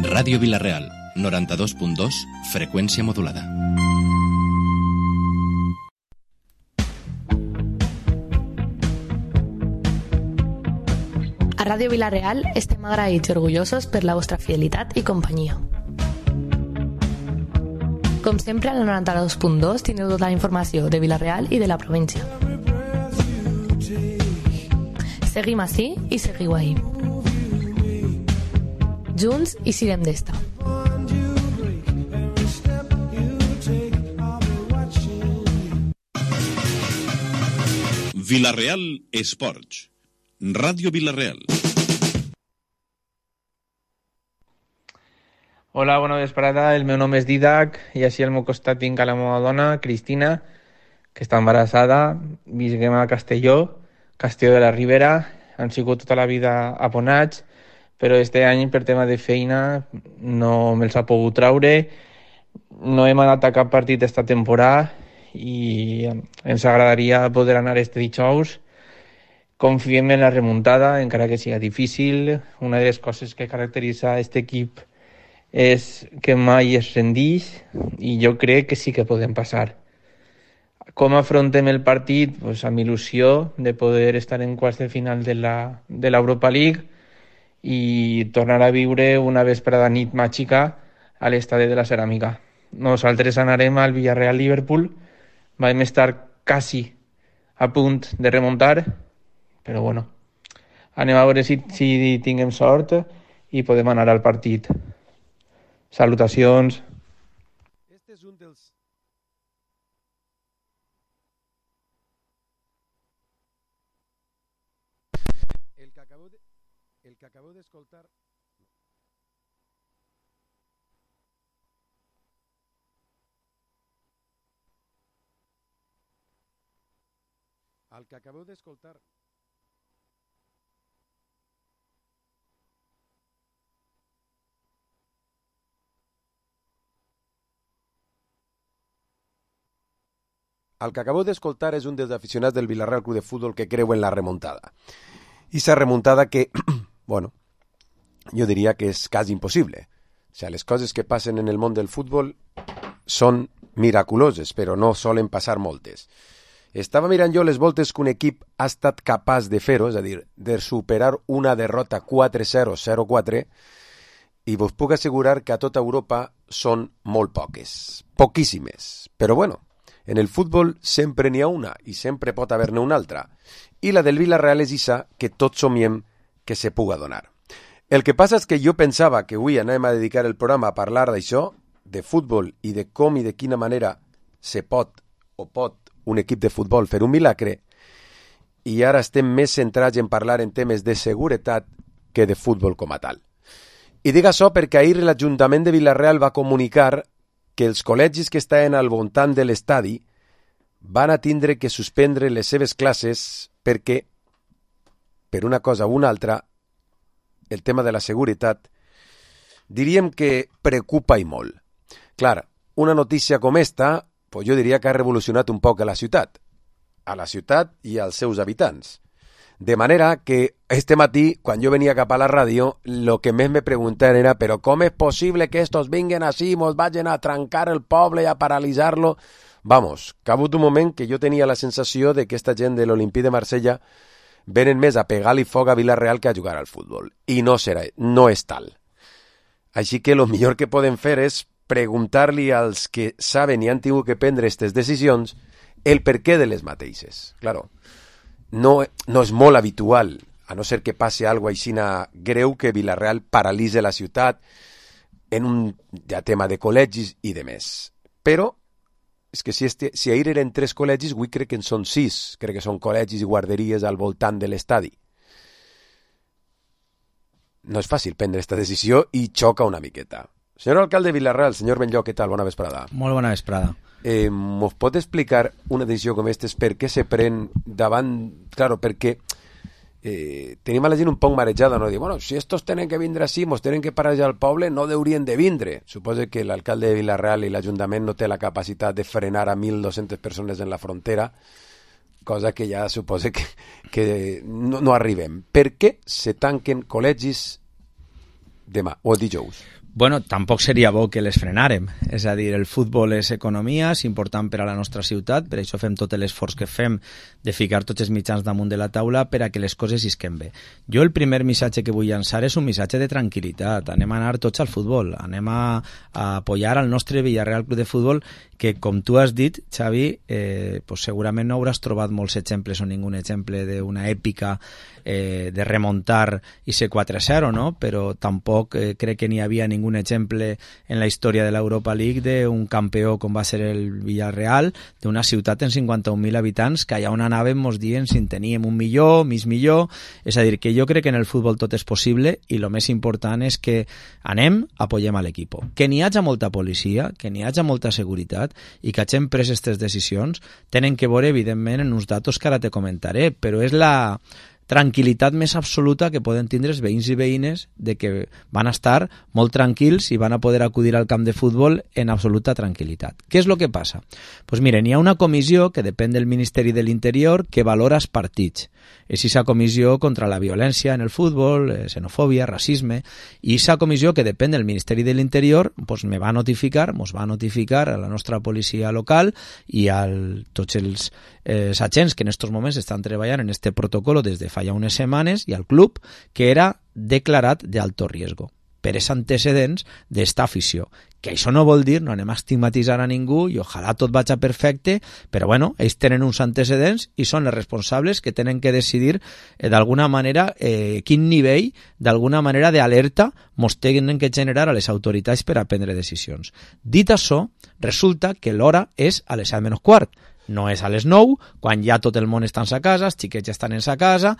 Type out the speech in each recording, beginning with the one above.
Ràdio Vila-real, 92.2, freqüència modulada. A Ràdio Vila-real estem agraïts i orgullosos per la vostra fidelitat i companyia. Com sempre, al 92.2 teniu tota la informació de Vila-real i de la província. Seguim ací i seguiu ahí. Junts i sirem d'esta. Vila-real Esports. Ràdio Vila-real. Hola, bona vesprada. El meu nom és Didac i així al meu costat tinc a la meva dona, Cristina, que està embarassada. Visquem a Castelló, Castelló de la Ribera. Han sigut tota la vida abonats, però este any per tema de feina no me'ls ha pogut traure. No hem anat a cap partit esta temporada i ens agradaria poder anar este dijous. Confiem en la remuntada, encara que sigui difícil. Una de les coses que caracteritza aquest equip és que mai es rendix i jo crec que sí que podem passar. Com afrontem el partit? Pues amb il·lusió de poder estar en quarts de final de l'Europa League i tornar a viure una vesprada nit màgica a l'estadi de la Ceràmica. Nosaltres anarem al Villarreal-Liverpool. Vam estar quasi a punt de remuntar, però bueno, anem a veure si tinguem sort i podem anar al partit. Salutacions. Este és un dels... El que acabeu d'escoltar... El que acabeu d'escoltar... El que acabeu d'escoltar és un dels aficionats del Villarreal Club de Futbol que creu en la remuntada. I esa remuntada que, bueno, jo diria que és quasi impossible. O sea, les coses que passen en el món del futbol són miraculoses, però no solen passar moltes. Estava mirant jo les voltes que un equip ha estat capaç de fer-ho, és a dir, de superar una derrota 4-0, 0-4, i vos puc assegurar que a tota Europa són molt poques, poquíssimes. Però bueno, en el futbol sempre n'hi ha una i sempre pot haver-ne una altra. I la del Villarreal és issa que tots somiem que se puga donar. El que passa és que jo pensava que avui anem a dedicar el programa a parlar d'això, de futbol i de com i de quina manera se pot o pot un equip de futbol fer un milagre, i ara estem més centrats en parlar en temes de seguretat que de futbol com a tal. I dic això perquè ahir l'Ajuntament de Villarreal va comunicar que els col·legis que estaven al voltant de l'estadi van a tindre que suspendre les seves classes perquè, per una cosa o una altra, el tema de la seguretat, diríem que preocupa i molt. Clar, una notícia com esta, pues jo diria que ha revolucionat un poc a la ciutat i als seus habitants. De manera que este matí, quan jo venia cap a la ràdio, lo que més me preguntaven era «Però com és possible que estos vinguen així, mos vagin a trencar el poble i a paralitzar-lo?» Vamos, que ha hagut un moment que jo tenia la sensació de que esta gent de l'Olimpí de Marsella venen més a pegar-li foc a Villarreal que a jugar al futbol. I no és tal. Així que lo millor que podem fer és preguntar-li als que saben i han tingut que prendre aquestes decisions el perquè de les mateixes. Claro, no és molt habitual, a no ser que passi alguna cosa greu, que Villarreal paralitze la ciutat en un tema de col·legis i de més. Però és que si ahir eren 3 col·legis, avui crec que en són 6. Crec que són col·legis i guarderies al voltant de l'estadi. No és fàcil prendre aquesta decisió i xoca una miqueta. Senyor alcalde de Villarreal, senyor Benlloc, què tal? Bona vesprada. Molt bona vesprada. Mos pot explicar una decisió com aquesta, per què se pren davant... Claro, perquè tenim a la gent un poc marejada, no? Dir, bueno, si estos tenen que vindre així, mos tenen que parar ja al poble, no deurien de vindre. Suposo que l'alcalde de Villarreal i l'Ajuntament no té la capacitat de frenar a 1.200 persones en la frontera, cosa que ja suposa que no arribem. Per què se tanquen col·legis demà o dijous? Bueno, tampoc seria bo que les frenàrem. És a dir, el futbol és economia, és important per a la nostra ciutat, per això fem tot l'esforç que fem de ficar tots els mitjans damunt de la taula per a que les coses isquen bé. Jo el primer missatge que vull llançar és un missatge de tranquil·litat. Anem a anar tots al futbol, anem a apoyar al nostre Villarreal Club de Futbol, que com tu has dit, Xavi, pues segurament no hauràs trobat molts exemples o ningun exemple d'una èpica de remontar i ser 4-0, no? Però tampoc crec que n'hi havia ningun exemple en la història de l'Europa League d'un campió com va ser el Villarreal, d'una ciutat en 51.000 habitants, que allà on anàvem mos dient si en teníem 1 milió, mig milió. És a dir, que jo crec que en el futbol tot és possible i el més important és que anem, apoyem a l'equip. Que n'hi hagi molta policia, que n'hi hagi molta seguretat i que hagin pres aquestes decisions tenen que veure, evidentment, en uns datos que ara te comentaré, però és la tranquil·litat més absoluta que poden tindre els veïns i veïnes de que van estar molt tranquils i van a poder acudir al camp de futbol en absoluta tranquil·litat. Què és el que passa? Pues miren, hi ha una comissió que depèn del Ministeri de l'Interior que valora els partits. És aquesta comissió contra la violència en el futbol, xenofòbia, racisme, i aquesta comissió que depèn del Ministeri de l'Interior pues mos va notificar a la nostra policia local i a tots els agents que en aquests moments estan treballant en este protocolo des de fa ja unes setmanes i al club que era declarat d'alto riesgo per els antecedents d'esta afició. Que això no vol dir, no anem a estigmatitzar a ningú i ojalà tot vagi perfecte, però bueno, ells tenen uns antecedents i són els responsables que tenen que decidir d'alguna manera quin nivell, d'alguna manera d'alerta mos tenen que generar a les autoritats per a prendre decisions. Dit això, resulta que l'hora és a les 7:15. No és a les 9, quan ja tot el món està en sa casa, els xiquets ja estan en sa casa.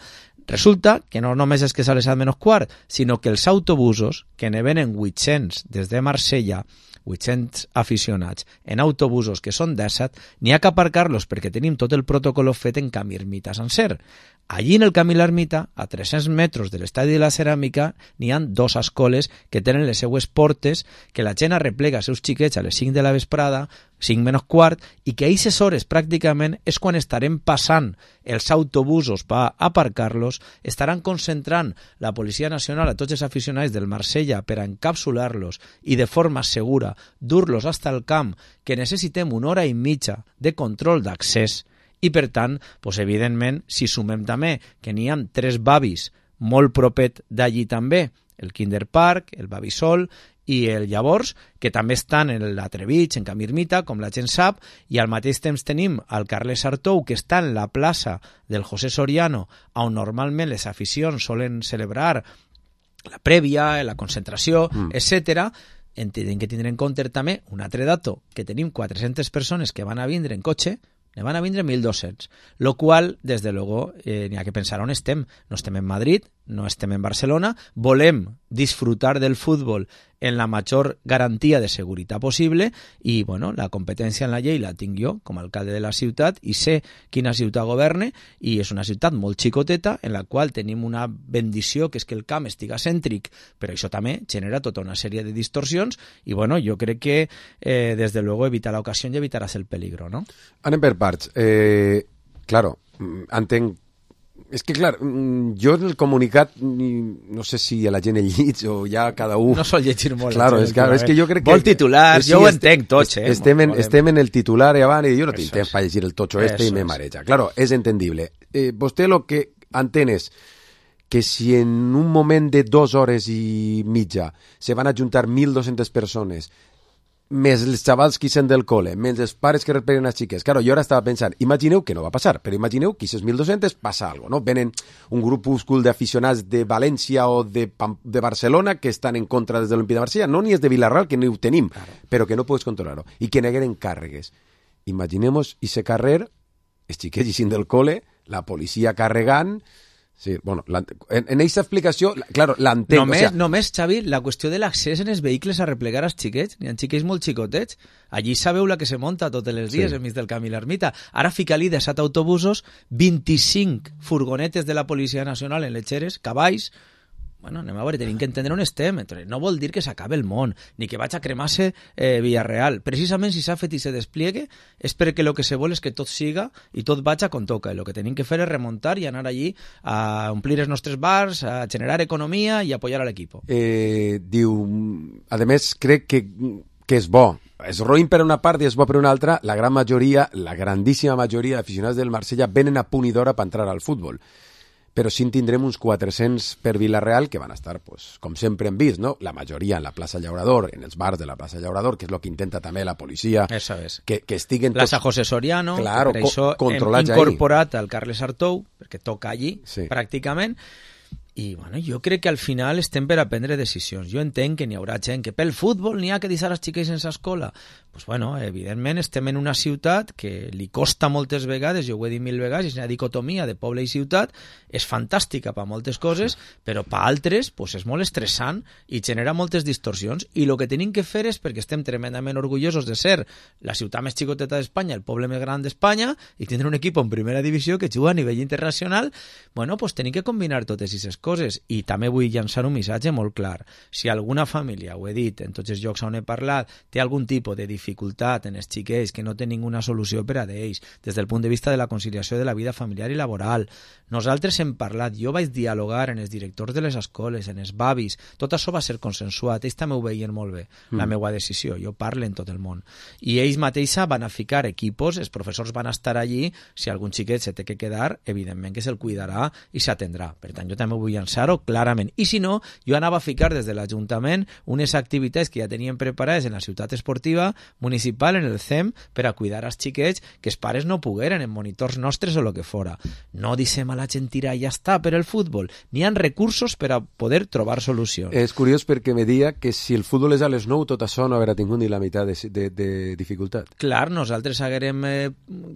Resulta que no només és que és a les 7:15, sinó que els autobusos, que ne venen 800 des de Marsella, 800 aficionats en autobusos que són 17, n'hi ha que aparcar-los perquè tenim tot el protocol fet en Camí Ermita sencer. Allí en el Camí l'Ermita, a 300 metres de l'Estadi de la Ceràmica, n'hi ha 2 escoles que tenen les seues portes, que la gent arreplega els seus xiquets a les 5 de la vesprada, 5:15, i que a aquestes hores pràcticament és quan estarem passant els autobusos per aparcar-los, estaran concentrant la Policia Nacional a tots els aficionats del Marsella per a encapsular-los i de forma segura dur-los fins al camp, que necessitem 1 hora i mitja de control d'accés. I per tant, doncs, evidentment, si sumem també que n'hi ha 3 bavis molt propet d'allí també, el Kinder Park, el Bavisol i el Llavors, que també estan en l'Atrevich, en Camí Ermita, com la gent sap, i al mateix temps tenim el Carles Artou, que està en la plaça del José Soriano, on normalment les aficions solen celebrar la prèvia, la concentració, etc. Hem de tindre en compte també un altre dato, que tenim 400 persones que van a vindre en cotxe, ne van a vindre 1.200, lo qual, des de luego, n'hi ha que pensar on estem. No estem en Madrid, no estem en Barcelona, volem disfrutar del futbol en la major garantia de seguretat possible i, bueno, la competència en la llei la tinc jo com a alcalde de la ciutat i sé quina ciutat governe i és una ciutat molt xicoteta en la qual tenim una bendició que és que el camp estiga cèntric, però això també genera tota una sèrie de distorsions i, bueno, jo crec que, des de luego, evitar l'ocasió i evitaràs el peligro, no? Anem per parts. Claro, entenc. És que, clar, jo en el comunicat no sé si a la gent el llig o ja cada un... No sol llegir molt. Claro, és que jo crec que... Molt titulars, jo ho entenc tots, Estem en el titular i abans i jo no tinc temps per llegir el totxo i me mareja. Claro, és entendible. Vostè lo que entén és que si en un moment de 2 hores i mitja se van a juntar 1.200 persones més els xavals que sent del col·le, més els pares que repleguen les xiques. Claro, jo ara estava pensant, imagineu que no va passar, però imagineu que aquests 1.200 passa alguna cosa, no? Venen un grupúscul d'aficionats de València o de Barcelona que estan en contra des de l'Olímpic de Marsella, no ni és de Vilarreal, que no ho tenim, però que no pots controlar-ho, i que negueren càrregues. Imaginemos ese carrer, els xiquets ixint del col·le, la policia carregant... Sí, bueno, en aquesta explicació, claro, l'entenc. Només, Xavi, la qüestió de l'accés en els vehicles a replegar els xiquets, n'hi ha xiquets molt xicotets, allí sabeu la que se monta tots els dies enmig del Camí l'Ermita. Ara fica-li de 7 autobusos, 25 furgonetes de la Policia Nacional en letxeres, cavalls, bueno, anem a veure, tenim que entendre on estem. No vol dir que s'acabe el món, ni que vaig a cremar-se Villarreal. Precisament si s'ha fet i se despliegue és perquè el que se vol és que tot siga i tot vaig com toca. El que tenim que fer és remuntar i anar allí a omplir els nostres bars, a generar economia i apoyar a l'equip. Diu, a més, crec que és bo. És roïn per una part i és bo per una altra. La gran majoria, la grandíssima majoria d'aficionats del Marsella venen a punt i d'hora per entrar al futbol. Però sí en tindrem uns 400 per Villarreal que van estar, pues, com sempre hem vist, no? La majoria en la plaça Llaurador, en els bars de la plaça Llaurador, que és el que intenta també la policia. Eso és. Que estiguen plaça tots... José Soriano, claro, per això hem incorporat al Carles Artou, perquè toca allí, sí, pràcticament. I bueno, jo crec que al final estem per a prendre decisions. Jo entenc que n'hi haurà gent que pel futbol n'hi ha que deixar els xiquets sense escola. Pues bueno, evidentment estem en una ciutat que li costa moltes vegades, jo ho he dit 1000 vegades, és una dicotomia de poble i ciutat, és fantàstica per moltes coses, però per altres pues és molt estressant i genera moltes distorsions. I el que tenim que fer és, perquè estem tremendament orgullosos de ser la ciutat més xicoteta d'Espanya, el poble més gran d'Espanya, i tindre un equip en primera divisió que juga a nivell internacional, bueno, pues tenim que combinar totes aquestes coses. I també vull llançar un missatge molt clar. Si alguna família, ho he dit en tots els llocs on he parlat, té algun tipus de dificultat en els xiquets que no té ninguna solució per a d'ells, des del punt de vista de la conciliació de la vida familiar i laboral, nosaltres hem parlat, jo vaig dialogar en els directors de les escoles, en els bavis, tot això va ser consensuat, ells també ho veien molt bé, la meva decisió, jo parlo en tot el món, i ells mateixa van a ficar equipos, els professors van a estar allí, si algun xiquet se té que quedar, evidentment que se'l cuidarà i s'atendrà, per tant jo també vull llançar-ho clarament, i si no, jo anava a ficar des de l'Ajuntament unes activitats que ja tenien preparades en la ciutat esportiva municipal, en el CEM, per a cuidar els xiquets que els pares no pogueren, en monitors nostres o el que fora. No deixem a la gent tirar i ja està per el futbol. N'hi ha recursos per a poder trobar solucions. És curiós perquè me deia que si el futbol és a les 9 tot això no haurà tingut ni la meitat de dificultat. Clar, nosaltres haguérem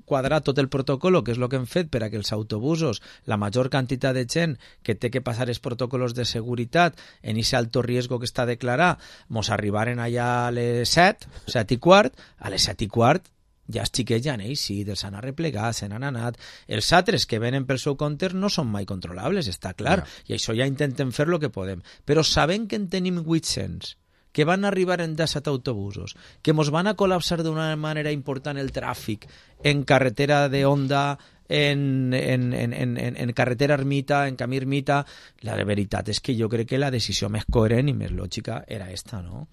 quadrat tot el protocol, que és el que hem fet per a que els autobusos, la major quantitat de gent que té que passar els protocols de seguretat en aquest alto riesgo que està declarat, mos arribaren allà a les 7:15, a les 7:15 ja els xiquets ja han eixit, els han arreplegat, se n'han anat. Els altres que venen pel seu compte no són mai controlables, està clar, i això ja intentem fer el que podem. Però sabent que en tenim 800, que van arribar en 17 autobusos, que mos van a col·lapsar d'una manera important el tràfic en carretera de Honda, en carretera Ermita, en camí Ermita, la veritat és que jo crec que la decisió més coherent i més lògica era esta, no?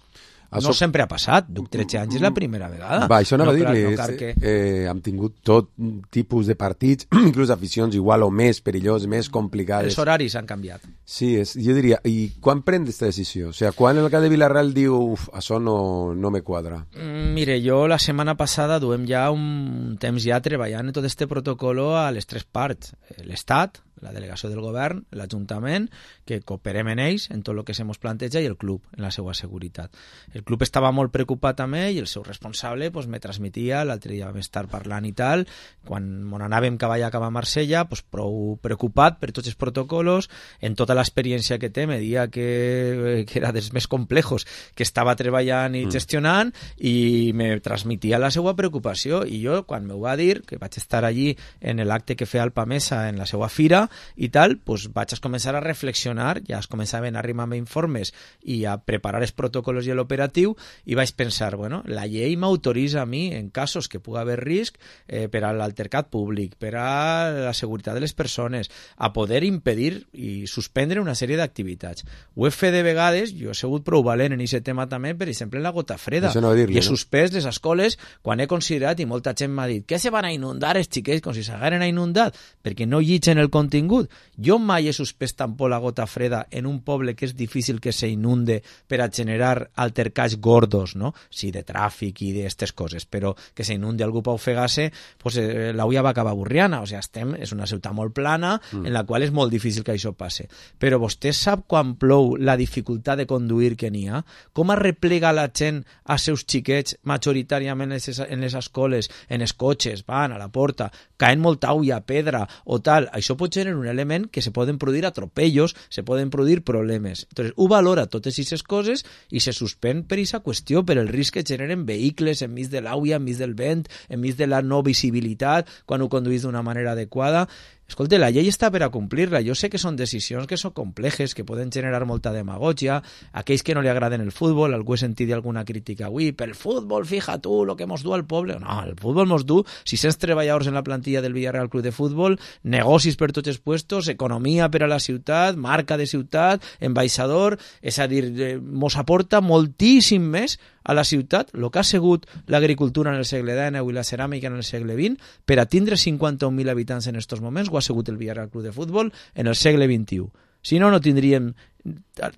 No sempre ha passat, duc 13 anys, és la primera vegada. Va, això anava a dir-li, hem tingut tot tipus de partits, inclús aficions igual o més perilloses, més complicades. Els horaris han canviat. Sí, jo diria, i quan pren aquesta decisió? O sigui, quan el cap de Villarreal diu, això no me quadra? Mire, jo la setmana passada duem ja un temps ja treballant en tot este protocolo a les tres parts. L'Estat, la delegació del govern, l'Ajuntament, que cooperem en ells, en tot el que se mos planteja, i el club, en la seva seguretat. El club estava molt preocupat també i el seu responsable pues, me transmetia, l'altre dia vam estar parlant i tal, quan mon anàvem cap a Marsella, pues, prou preocupat per tots els protocols, en tota l'experiència que té, me dia que era dels més complejos que estava treballant i gestionant, i me transmetia la seva preocupació, i jo, quan m'ho va dir, que vaig estar allí en l'acte que feia el Pamesa en la seva fira, i tal, pues vaig a començar a reflexionar, ja es començaven a arribar-me informes i a preparar els protocols i l'operatiu, i vaig pensar, bueno, la llei m'autoritza a mi, en casos que pugui haver risc per a l'altercat públic, per a la seguretat de les persones, a poder impedir i suspendre una sèrie d'activitats. Ho he fet de vegades, jo he sigut prou valent en aquest tema també, per exemple, en la gota freda. No dir-li, i he suspès les escoles quan he considerat, i molta gent m'ha dit, que se van a inundar els xiquets com si s'hagueren inundat, perquè no llitgen el contingut. Jo mai he suspès tampoc la gota freda en un poble que és difícil que se inunde per a generar altercats gordos, no? Sí, de tràfic i d'aquestes coses, però que se inunde algú per ofegar-se, pues, l'auia va acabar Burriana, o sigui, és una ciutat molt plana en la qual és molt difícil que això passe. Però vostè sap quan plou la dificultat de conduir que n'hi ha? Com arreplega la gent als seus xiquets majoritàriament en les escoles, en els cotxes, van a la porta, caen molta aigua, pedra o tal, això pot generar un element que se poden produir atropellos, se poden produir problemes. Entonces, ho valora totes aquestes coses i se suspèn per aquesta qüestió, per el risc que generen vehicles enmig de l'aigua, enmig del vent, enmig de la no visibilitat, quan ho conduïs d'una manera adequada. Escolta, la llei està per a complir-la. Jo sé que són decisions que són complexes, que poden generar molta demagògia. Aquells que no li agraden el futbol, algú he sentit alguna crítica avui, pel futbol, fija tu, lo que mos du al poble. No, el futbol mos du 600 treballadors en la plantilla del Villarreal Club de Futbol, negocis per tots els puestos, economia per a la ciutat, marca de ciutat, ambaixador, és a dir, mos aporta moltíssim més a la ciutat el que ha sigut l'agricultura en el segle XIX i la ceràmica en el segle XX per a tindre 51.000 habitants en aquests moments, ho ha sigut el Villarreal Club de Futbol en el segle XXI. Si no, no tindríem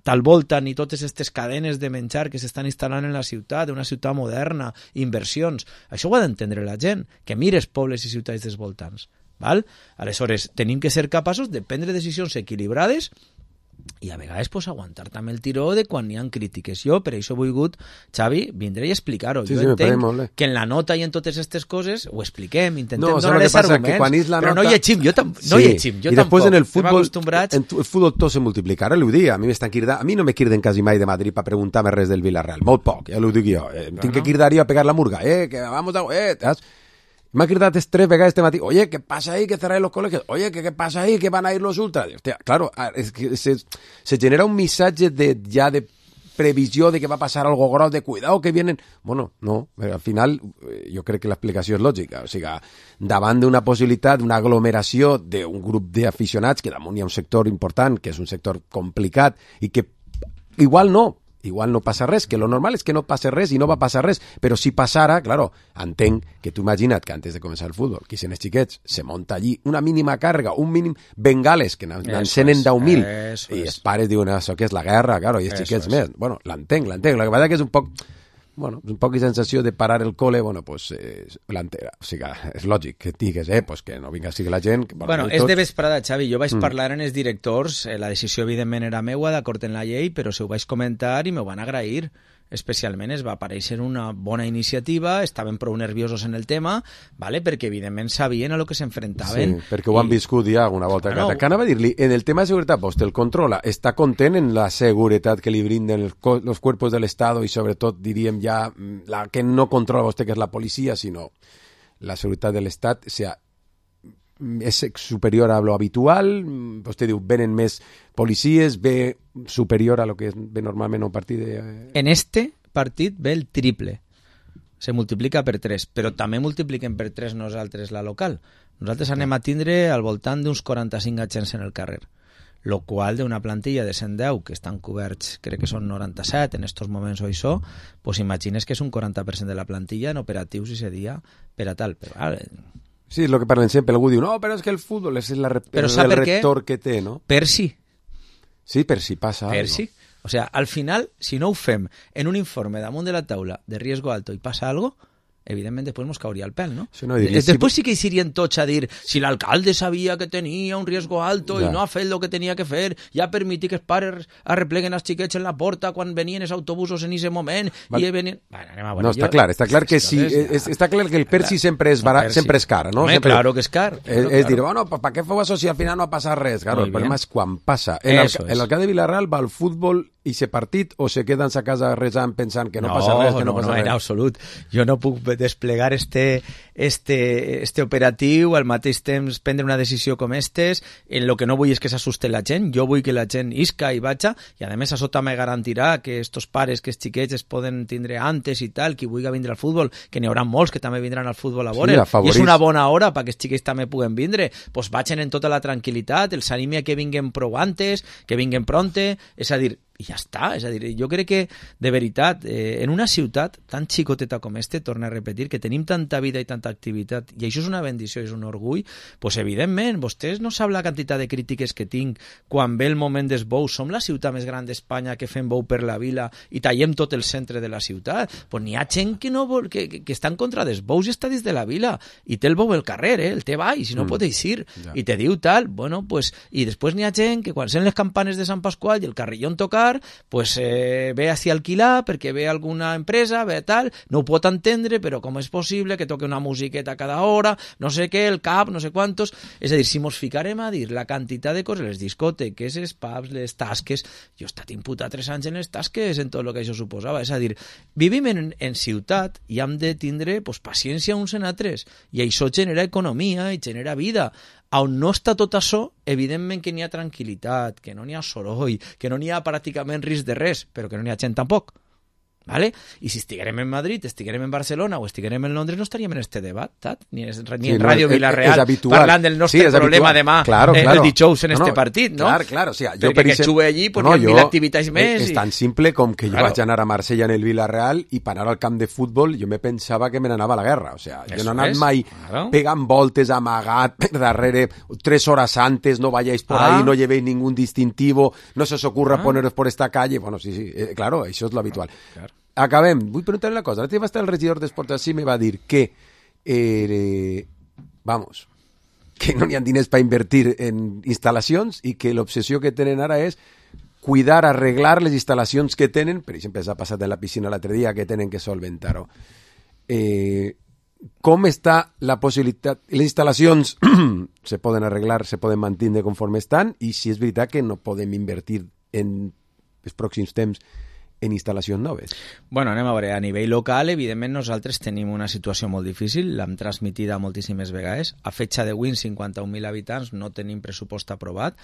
tal volta ni totes aquestes cadenes de menjar que s'estan instal·lant en la ciutat, una ciutat moderna, inversions. Això ho ha d'entendre la gent, que mires pobles i ciutats dels voltants. Val? Aleshores, tenim que ser capaços de prendre decisions equilibrades i a vegades pues, aguantar també el tiró de quan hi ha crítiques. Jo per això he volgut, Xavi, vindré i explicar-ho. Sí, jo sí, entenc que en la nota i en totes aquestes coses ho expliquem, intentem no, donar els arguments, nota... però no llegim, jo no llegim, jo i després tampoc. En el futbol tot se multiplica. Ara l'ho dic, a mi m'estan cridant, a mi no me criden quasi mai de Madrid per preguntar-me res del Villarreal, molt poc, ja l'ho dic jo. Tinc que cridar jo a pegar la murga, que vamos a... M'ha cridat 3 vegades este matí, oye, ¿qué pasa ahí que cerráis los colegios? Oye, ¿qué pasa ahí que van a ir los ultras? Hostia, claro, es que se genera un missatge de previsió de que va a passar algo gros, de cuidado que vienen... Bueno, no, al final jo crec que l'explicació és lògica. O sigui, davant d'una possibilitat, d'una aglomeració d'un grup d'aficionats, que damunt hi ha un sector important, que és un sector complicat, i que igual no passa res, que lo normal és que no passa res i no va passar res, però si passara, claro, entenc que tu imagina't que antes de començar el futbol, qui són els xiquets, se monta allí una mínima càrrega, un mínim bengales, que n'encenen 10.000, i els pares diuen, això que és la guerra, claro, i els xiquets més. Bueno, l'entenc, el que passa que és un poc... Bueno, un poc de sensació de parar el cole, bueno, pues, l'entera. O sigui, és lògic que digues, pues que no vinga sigui la gent... Que bueno, és de vesprada, Xavi. Jo vaig parlar en els directors, la decisió evidentment era meua, d'acord en la llei, però se ho vaig comentar i m'ho van agrair. Especialment es va aparèixer una bona iniciativa, estaven prou nerviosos en el tema, vale? Perquè evidentment sabien a lo que s'enfrontaven. Sí, perquè ho han viscut ja alguna volta. Bueno, que anava a dir-li, en el tema de seguretat, vostè el controla, està content en la seguretat que li brinden los cuerpos del Estado i sobretot, diríem ja, la que no controla vostè, que és la policia, sinó la seguretat de l'Estat, o sigui, és superior a lo habitual, vostè diu, venen més policies, ve superior a lo que ve normalment un partit de... En este partit ve el triple, se multiplica per 3, però també multipliquem per 3 nosaltres la local. Nosaltres anem a tindre al voltant d'uns 45 agents en el carrer, lo qual d'una plantilla de 110 que estan coberts, crec que són 97 en estos moments o això, pues imagines que és un 40% de la plantilla en operatius i seria per a tal, però... Sí, és el que parlen sempre. Algú diu, no, però és que el futbol és el rector que té, no? Per si. Sí, per si passa per algo. Si. O sea, al final, si no ho fem en un informe damunt de la taula de riesgo alto i passa algo, evidentment després mos cauria el pel, no? Sí, no després sí que hi serien tots a dir si l'alcalde sabia que tenia un riesgo alto i no ha fet el que tenia que fer, ja permetir que els pares arrepleguen els xiquets en la porta quan venien els autobusos en aquest moment i venien... Bueno, no, està clar que sí, està clar que el persi sempre és barat, sempre és car, no? Home, claro que és car. És dir, bueno, ¿para qué feu això si al final no ha passat res? Claro, el problema és quan passa. L'alcalde de Villarreal va al futbol i se partit o se queden a casa resant pensant que no passa res, que no passa res? No, en absolut. Jo no puc desplegar este operatiu, al mateix temps prendre una decisió com estes, en lo que no vull és que s'assuste la gent, jo vull que la gent isca i vaja, i a més a sota me garantirà que estos pares, que els xiquets es poden tindre antes i tal, qui vulgui vindre al futbol, que n'hi haurà molts que també vindran al futbol a veure, i és una bona hora perquè els xiquets també puguen vindre, pues vagin en tota la tranquil·litat, els animi a que vinguen prou antes, que vinguen pronte, és a dir, i ja està, és a dir, jo crec que de veritat, en una ciutat tan xicoteta com torno a repetir, que tenim tanta vida i tanta activitat, i això és una bendició, és un orgull, pues evidentment, vostès no sap la quantitat de crítiques que tinc quan ve el moment dels bous, som la ciutat més gran d'Espanya que fem bou per la vila i tallem tot el centre de la ciutat, pues n'hi ha gent que no vol, que està en contra dels bous i està dins de la vila, i té el bou al carrer, el té baix, i no pot eixir, i te diu tal, bueno, pues, i després n'hi ha gent que quan sent les campanes de Sant Pasqual i el carrillón tocar, ficar, pues ve hacia alquilar perquè ve alguna empresa, ve tal, no ho pot entendre, però com és possible que toque una musiqueta cada hora, no sé què, el cap, no sé quantos... És a dir, si mos ficarem a dir la quantitat de coses, les discoteques, els pubs, les tasques... Jo he estat imputat 3 anys en les tasques, en tot el que això suposava. És a dir, vivim en ciutat i hem de tindre pues, paciència uns en altres, i això genera economia i genera vida. On no està tot això, evidentment que n'hi ha tranquil·litat, que no n'hi ha soroll, que no n'hi ha pràcticament risc de res, però que no n'hi ha gent tampoc. ¿Vale? I si estiguérem en Madrid, estiguérem en Barcelona o estiguérem en Londres, no estaríem en este debat, ni en Ràdio Vilareal parlant del nostre problema demà el dijous en este partit, no? Clar, o sea, perquè que xuve allí pues, hi ha 1.000 activitats més. És tan simple com que jo vaig anar a Marsella en el Vilareal i per anar al camp de futbol jo me pensava que me n'anava a la guerra, o sea, jo no he anat mai pegant voltes, amagat per darrere 3 horas antes, no vayáis por ahí, no llevéis ningún distintivo, no se os ocurra poneros por esta calle, bueno, sí, claro, això és lo habitual. Claro. Acabem. Vull preguntar una cosa. L'altre dia va estar el regidor d'Esports així i me va dir que que no hi ha diners per invertir en instal·lacions i que l'obsessió que tenen ara és cuidar, arreglar les instal·lacions que tenen, per exemple, s'ha passat en la piscina l'altre dia, que tenen que solventar-ho. Com està la possibilitat... Les instal·lacions se poden arreglar, se poden mantenir conforme estan, i si és veritat que no podem invertir en els pròxims temps en instal·lacions noves. Bueno, anem a veure, a nivell local, evidentment, nosaltres tenim una situació molt difícil, l'hem transmitida moltíssimes vegades. A fetge d'avui, 51.000 habitants, no tenim pressupost aprovat.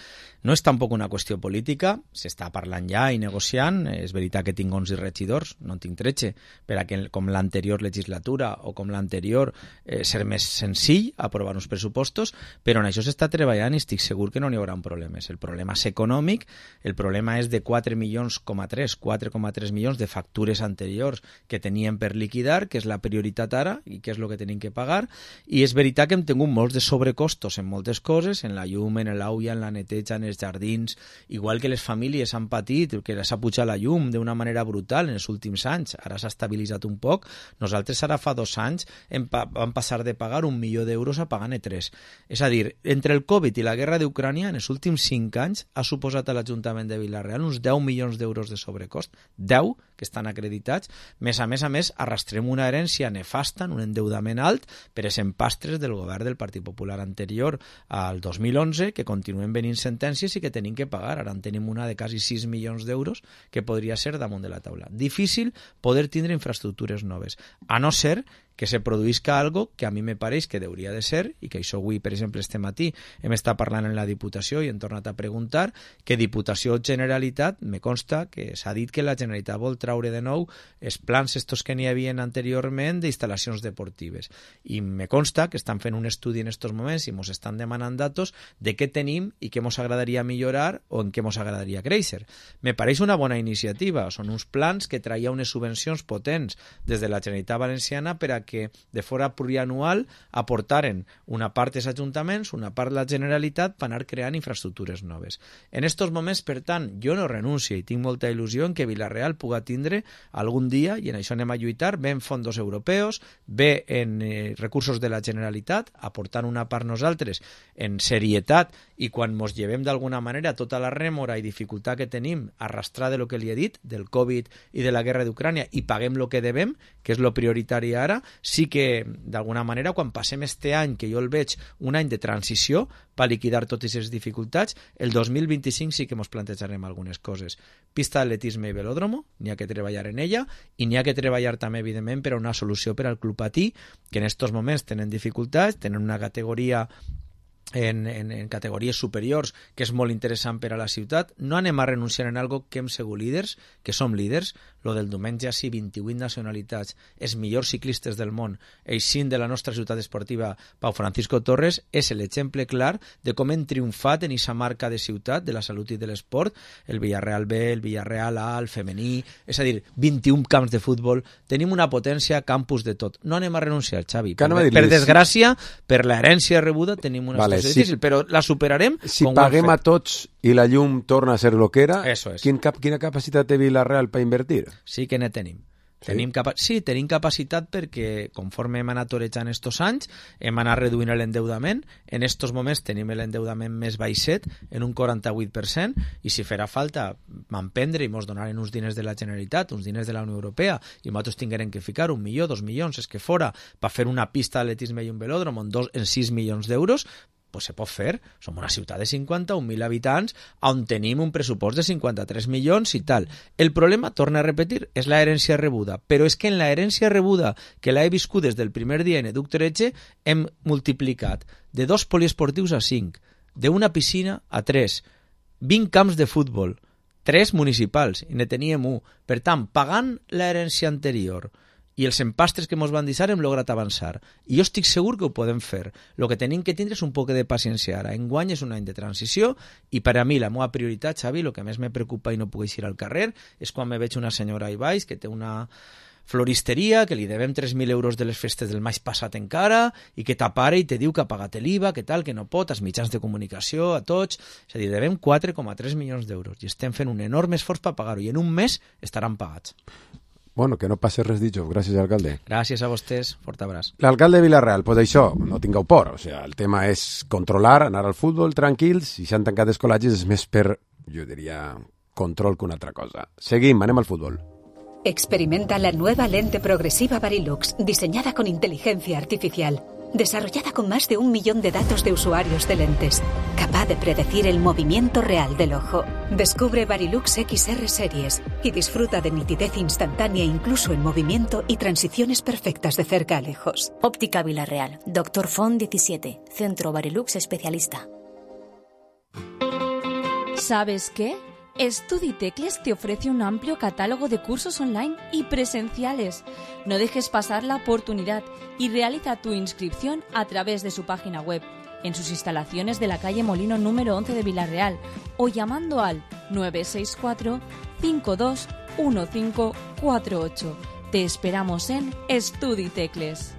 No és tampoc una qüestió política, s'està parlant ja i negociant. És veritat que tinc 11 regidors, no en tinc 13, per a que, com l'anterior legislatura o com l'anterior, ser més senzill aprovar uns pressupostos, però en això s'està treballant i estic segur que no n'hi haurà problemes. El problema és econòmic, el problema és de 4,3 milions de factures anteriors que teníem per liquidar, que és la prioritat ara i que és el que tenim que pagar, i és veritat que hem tingut molts de sobrecostos en moltes coses, en la llum, en l'aigua, en la neteja, en els jardins, igual que les famílies han patit, que s'ha pujat la llum d'una manera brutal en els últims anys, ara s'ha estabilitzat un poc. Nosaltres ara fa 2 anys vam passar de pagar 1 milió d'euros a pagar-ne 3. És a dir, entre el Covid i la guerra d'Ucrània, en els últims 5 anys ha suposat a l'Ajuntament de Vilareal uns 10 milions d'euros de sobrecost, 10 que estan acreditats. A més, arrastrem una herència nefasta, un endeudament alt per els empastres del govern del Partit Popular anterior al 2011, que continuen venint sentències i que tenim que pagar. Ara en tenim una de quasi 6 milions d'euros que podria ser damunt de la taula. Difícil poder tindre infraestructures noves, a no ser que se produïsca algo que a mi me pareix que hauria de ser, i que això avui, per exemple, este matí hem estat parlant en la Diputació i hem tornat a preguntar, que Diputació o Generalitat, me consta que s'ha dit que la Generalitat vol traure de nou els plans estos que n'hi havia anteriorment d'instal·lacions deportives. I me consta que estan fent un estudi en estos moments i ens estan demanant datos de què tenim i què ens agradaria millorar o en què ens agradaria créixer. Me pareix una bona iniciativa. Són uns plans que traia unes subvencions potents des de la Generalitat Valenciana per a que de fora plurianual aportaren una part dels ajuntaments, una part la Generalitat per anar creant infraestructures noves. En estos moments, per tant, jo no renuncio i tinc molta il·lusió en que Vilareal puga tindre algun dia, i en això anem a lluitar, bé en fondos europeus, bé en recursos de la Generalitat, aportant una part nosaltres en serietat, i quan mos llevem d'alguna manera tota la rèmora i dificultat que tenim arrastrar de lo que li he dit, del Covid i de la guerra d'Ucrània, i paguem lo que devem, que és lo prioritari ara, sí que, d'alguna manera, quan passem este any, que jo el veig un any de transició per liquidar totes les dificultats, el 2025 sí que ens plantejarem algunes coses. Pista d'atletisme i velòdromo, n'hi ha que treballar en ella, i n'hi ha que treballar també, evidentment, per a una solució per al Club Patí, que en estos moments tenen dificultats, tenen una categoria en categories superiors que és molt interessant per a la ciutat. No anem a renunciar en algo que hem sigut líders, que som líders. Lo del diumenge, sí, 28 nacionalitats, els millors ciclistes del món, eixint de la nostra ciutat esportiva, Pau Francisco Torres, és l'exemple clar de com hem triomfat en aquesta marca de ciutat, de la salut i de l'esport, el Villarreal B, el Villarreal A, el femení, és a dir, 21 camps de futbol, tenim una potència, campus de tot. No anem a renunciar, Xavi. Per desgràcia, per l'herència rebuda, tenim una situació difícil, però la superarem. Si paguem a tots i la llum torna a ser lo que era, eso es. Quina capacitat té Vilareal per invertir? Sí que ne tenim. Tenim capacitat perquè, conforme hem anat torejant estos anys, hem anat reduint l'endeudament. En estos moments tenim l'endeudament més baixet, en un 48%, i si farà falta m'emprendre i mos donaren uns diners de la Generalitat, uns diners de la Unió Europea, i nosaltres tinguem que ficar 1 milió, 2 milions, és que fora, per fer una pista d'atletisme i un velòdrom en 6 milions d'euros, pues se pot fer. Som una ciutat de 51.000 habitants on tenim un pressupost de 53 milions i tal. El problema, torna a repetir, és la herència rebuda, però és que en la herència rebuda, que l'he viscut des del primer dia en Educ Toreche, hem multiplicat de 2 poliesportius a 5, d'una piscina a 3, 20 camps de futbol, 3 municipals, i ne teníem 1. Per tant, pagant l'herència anterior i els empastres que ens van deixar hem lograt avançar. I jo estic segur que ho podem fer. El que tenim que tindre és un poc de paciència ara. Enguany és un any de transició i per a mi la meva prioritat, Xavi, el que més me preocupa i no puc eixir al carrer és quan me veig una senyora ahí baix que té una floristeria, que li devem 3.000 euros de les festes del maig passat encara i que t'apara i te diu que ha pagat l'IVA, que tal, que no pot, als mitjans de comunicació, a tots. És a dir, devem 4,3 milions d'euros i estem fent un enorme esforç per pagar-ho i en un mes estaran pagats. Bueno, que no passi res ditjos. Gràcies, alcalde. Gràcies a vostès. Fort abraç. L'alcalde de Vila-real, pues això, no tingueu por. O sea, el tema és controlar, anar al futbol tranquils, i s'han tancat escolatges és més per, jo diria, control que una altra cosa. Seguim, anem al futbol. Experimenta la nueva lente progresiva Varilux, diseñada con inteligencia artificial. Desarrollada con más de 1 millón de datos de usuarios de lentes, capaz de predecir el movimiento real del ojo. Descubre Varilux XR Series y disfruta de nitidez instantánea incluso en movimiento y transiciones perfectas de cerca a lejos. Óptica Vila-real, Dr. Font 17, Centro Varilux Especialista. ¿Sabes qué? Estuditecles te ofrece un amplio catálogo de cursos online y presenciales. No dejes pasar la oportunidad y realiza tu inscripción a través de su página web, en sus instalaciones de la calle Molino número 11 de Vila-real o llamando al 964 521548. Te esperamos en Estuditecles.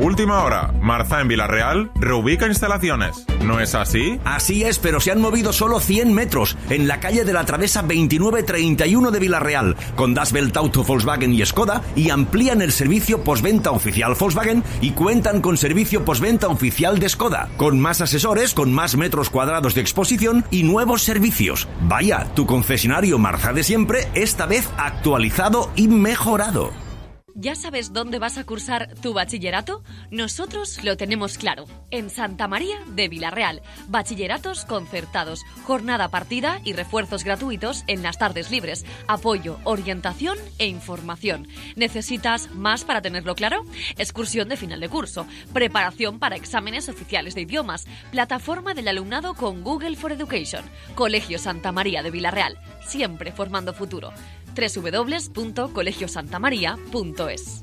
Última hora. Marza en Vila-real reubica instalaciones. ¿No es así? Así es, pero se han movido solo 100 metros en la calle de la Travesa 2931 de Vila-real, con Das Welt Auto Volkswagen y Skoda, y amplían el servicio postventa oficial Volkswagen y cuentan con servicio postventa oficial de Skoda, con más asesores, con más metros cuadrados de exposición y nuevos servicios. Vaya, tu concesionario Marza de siempre, esta vez actualizado y mejorado. ¿Ya sabes dónde vas a cursar tu bachillerato? Nosotros lo tenemos claro. En Santa María de Vila-real. Bachilleratos concertados, jornada partida y refuerzos gratuitos en las tardes libres. Apoyo, orientación e información. ¿Necesitas más para tenerlo claro? Excursión de final de curso. Preparación para exámenes oficiales de idiomas. Plataforma del alumnado con Google for Education. Colegio Santa María de Vila-real. Siempre formando futuro. www.colegiosantamaria.es.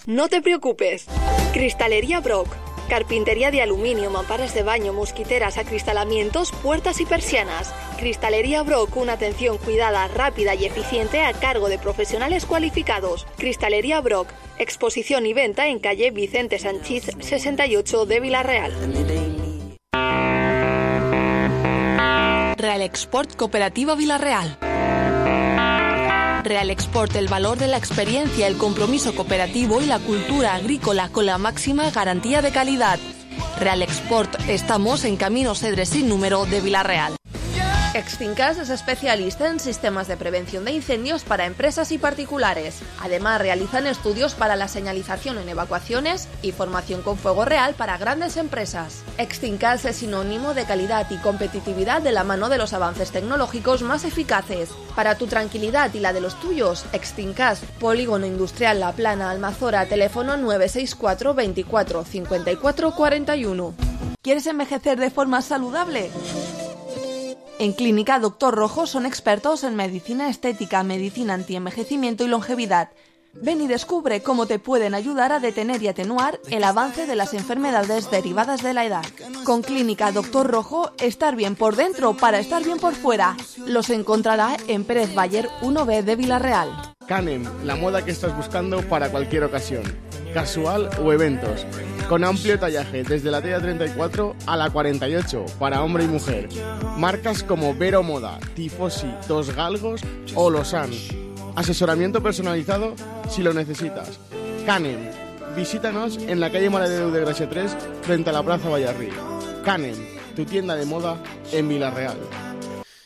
No te preocupes. Cristalería Brock. Carpintería de aluminio, mamparas de baño, mosquiteras, acristalamientos, puertas y persianas. Cristalería Brock, una atención cuidada, rápida y eficiente a cargo de profesionales cualificados. Cristalería Brock. Exposición y venta en calle Vicente Sanchís 68 de Vila-real. Real Export Cooperativa Vila-real. Real Export, el valor de la experiencia, el compromiso cooperativo y la cultura agrícola con la máxima garantía de calidad. Real Export, estamos en Camino Cedres sin número de Vila-real. Extincas es especialista en sistemas de prevención de incendios para empresas y particulares. Además, realizan estudios para la señalización en evacuaciones y formación con fuego real para grandes empresas. Extincas es sinónimo de calidad y competitividad de la mano de los avances tecnológicos más eficaces. Para tu tranquilidad y la de los tuyos, Extincas, Polígono Industrial La Plana, Almazora, teléfono 964 24 54 41. ¿Quieres envejecer de forma saludable? En Clínica Dr. Rojo son expertos en medicina estética, medicina antienvejecimiento y longevidad. Ven y descubre cómo te pueden ayudar a detener y atenuar el avance de las enfermedades derivadas de la edad. Con Clínica Dr. Rojo, estar bien por dentro para estar bien por fuera. Los encontrará en Pérez Bayer 1B de Vila-real. Canem, la moda que estás buscando para cualquier ocasión, casual o eventos. Con amplio tallaje, desde la talla 34 a la 48, para hombre y mujer. Marcas como Vero Moda, Tifosi, Dos Galgos o Losan. Asesoramiento personalizado si lo necesitas. Canem. Visítanos en la calle Mare de Déu de Gràcia 3, frente a la Plaza Vallarrí. Canem, tu tienda de moda en Vila-real.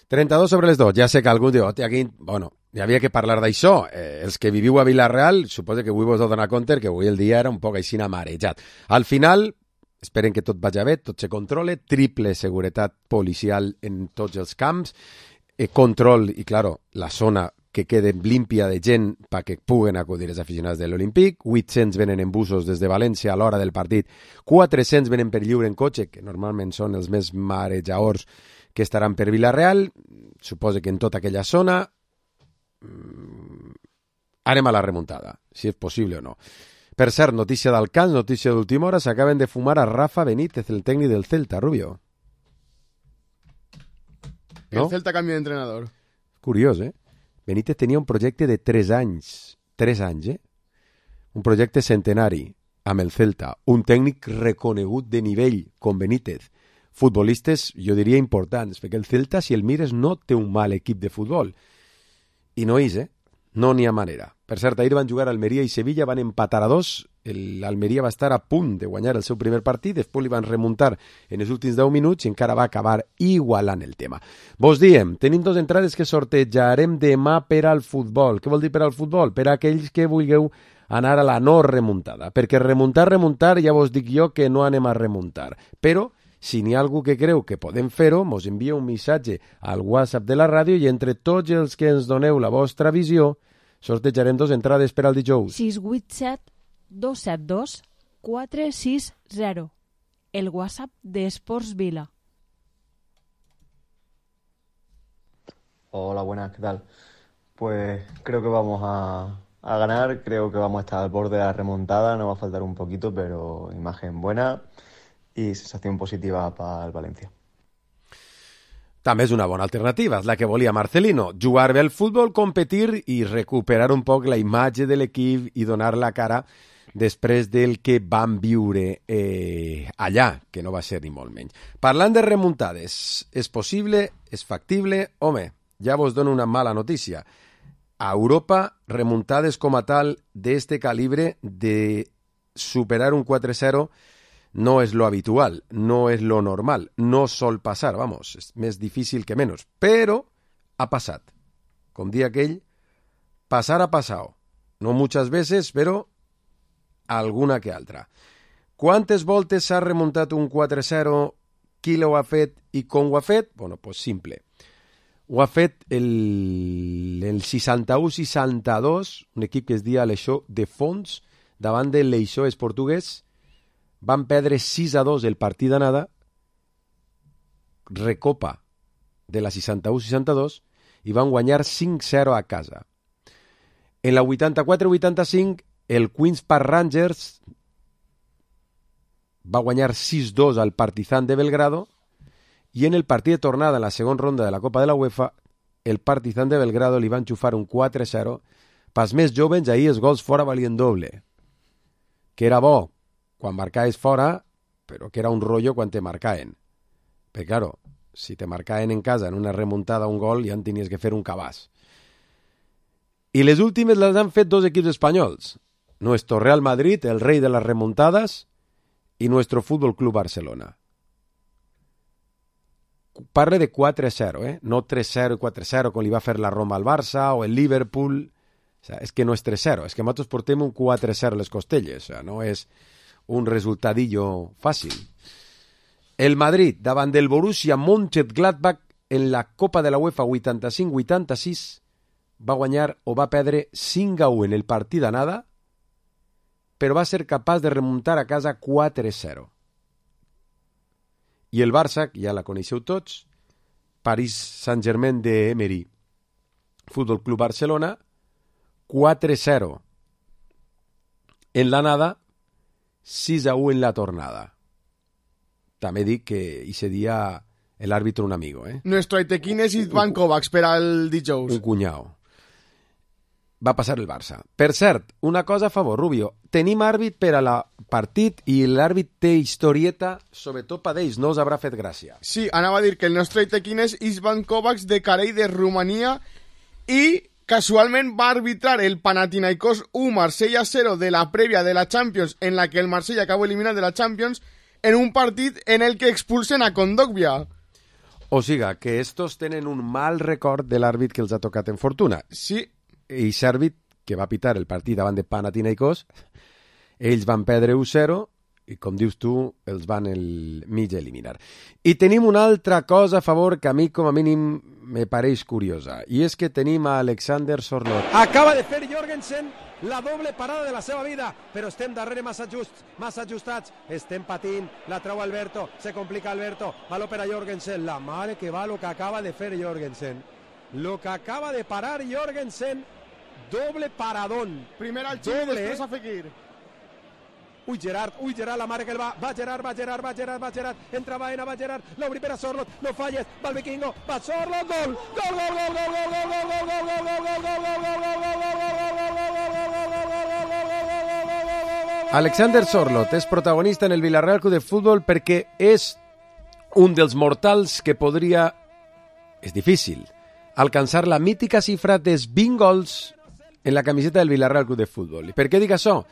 32 sobre les 2. Ja sé que algú diu, aquí, bueno, hi havia que parlar d'això. Els que viviu a Vila-real, suposo que avui vos heu donat compte que avui el dia era un poc així marejat. Al final, esperen que tot vagi bé, tot se controle, triple seguretat policial en tots els camps, control, i claro, la zona que quede límpia de gent perquè puguen acudir els aficionats de l'Olímpic, 800 venen en busos des de València a l'hora del partit, 400 venen per lliure en cotxe, que normalment són els més marejaors que estaran per Vila-real, suposo que en tota aquella zona anem a la remuntada, si és possible o no. Per cert, notícia d'Alcans, notícia d'última hora, s'acaben de fumar a Rafa Benítez, el tècnic del Celta, Rubio. ¿No? El Celta cambia de entrenador. Curiós, Benítez tenia un projecte de 3 anys, un projecte centenari amb el Celta, un tècnic reconegut de nivell com Benítez, futbolistes, jo diria, importants, perquè el Celta, si el mires, no té un mal equip de futbol. I no és, no n'hi ha manera. Per cert, ahir van jugar Almeria i Sevilla, van empatar a 2, l'Almeria va estar a punt de guanyar el seu primer partit, després li van remuntar en els últims 10 minuts i encara va acabar igualant el tema. Vos diem, tenim 2 entrades que sortejarem demà per al futbol. Què vol dir per al futbol? Per a aquells que vulgueu anar a la no remuntada, perquè remuntar, ja vos dic jo que no anem a remuntar, però si n'hi ha algú que creu que podem fer-ho, mos envia un missatge al WhatsApp de la ràdio i entre tots els que ens doneu la vostra visió sortejarem 2 entrades per al dijous. 687-272-460. El WhatsApp de Esports Vila. Hola, buenas, ¿qué tal? Pues creo que vamos a ganar, creo que vamos a estar al borde de la remontada, nos va a faltar un poquito, pero imagen buena i sensació positiva per al València. També és una bona alternativa, és la que volia Marcelino, jugar bé al futbol, competir i recuperar un poc la imatge de l'equip i donar la cara després del que van viure allà, que no va ser ni molt menys. Parlant de remuntades, és possible, és factible? Home, ja vos dono una mala notícia. A Europa, remuntades com a tal d'este calibre de superar un 4-0 no és lo habitual, no és lo normal, no sol passar, vamos, és més difícil que menys, però ha passat. Com dia aquell, passar ha passat. No muchas veces, però alguna que altra. Quantes voltes s'ha remuntat un 4-0, qui ho ha fet i com ho ha fet? Bueno, pues simple. Ho ha fet el 61-62, un equip que es dia l'Eixó de Fons, davant de l'Eixó és portuguès. Van perdre 6-2 el partit d'anada, recopa de la 61-62 i van guanyar 5-0 a casa. En la 84-85 el Queen's Park Rangers va guanyar 6-2 al Partizan de Belgrado i en el partit de tornada en la segona ronda de la Copa de la UEFA el Partizan de Belgrado li van xufar un 4-0. Pels més jovens ahir els gols fora valien doble, que era bo quan marcaves fora, però que era un rotllo quan te marcaven. Perquè, claro, si te marcaven en casa en una remuntada un gol, ja en tenies que fer un cabàs. I les últimes les han fet 2 equips espanyols. Nuestro Real Madrid, el rei de les remuntades, i nuestro Fútbol Club Barcelona. Parle de 4-0, no 3-0 i 4-0 com li va fer la Roma al Barça o el Liverpool. O sea, és que no és 3-0, és que nosaltres portem un 4-0 a les costelles. O sea, no és un resultadillo fàcil. El Madrid, davant del Borussia Mönchengladbach en la Copa de la UEFA 85-86, va guanyar o va perdre 5-1 en el partit d'anada, però va ser capaç de remuntar a casa 4-0. I el Barça, ja la coneixeu tots, Paris Saint-Germain de Emery, Fútbol Club Barcelona, 4-0 en l'anada, 6-1 en la tornada. També dic que ese dia l'àrbitre un amigo, Nuestro Aitequín és Ivan Kovacs per al dijous. Un cunyau. Va passar el Barça. Per cert, una cosa a favor, Rubio. Tenim àrbit per a la partit i l'àrbit té historieta, sobretot per ells, no us haurà fet gràcia. Sí, anava a dir que el nostre Aitequín és Ivan Kovacs de Carei de Romania i casualment va arbitrar el Panathinaikos 1 Marsella 0 de la prèvia de la Champions, en la que el Marsella acabó eliminat de la Champions, en un partit en el que expulsen a Kondogbia. O siga, que estos tenen un mal record de l'àrbit que els ha tocat en fortuna. Sí. I l'àrbit que va pitar el partit davant de Panathinaikos, ells van perdre 1-0 i, com dius tu, els van mig eliminar. I tenim una altra cosa a favor que a mi, com a mínim, me pareix curiosa, i és que tenim a Alexander Sorloth. Acaba de fer Jorgensen la doble parada de la seva vida, però estem darrere massa ajustats, estem patint, la trau Alberto, se complica Alberto, valor per a Jorgensen, la mare que va lo que acaba de fer Jorgensen, lo que acaba de parar Jorgensen, doble paradón. Primer al Ximi, després a Fekir. Uy Gerard, la mare que el va Gerard, entra Baena, va Gerard, l'obri per a Sorloth, no falles, va el vikingo, va Sorloth, gol, Alexander Sorloth és protagonista en el Villarreal Club de Futbol perquè és un dels mortals que podria, és difícil, alcançar la mítica xifra dels 20 gols en la camiseta del Villarreal Club de Futbol. I per què dic això?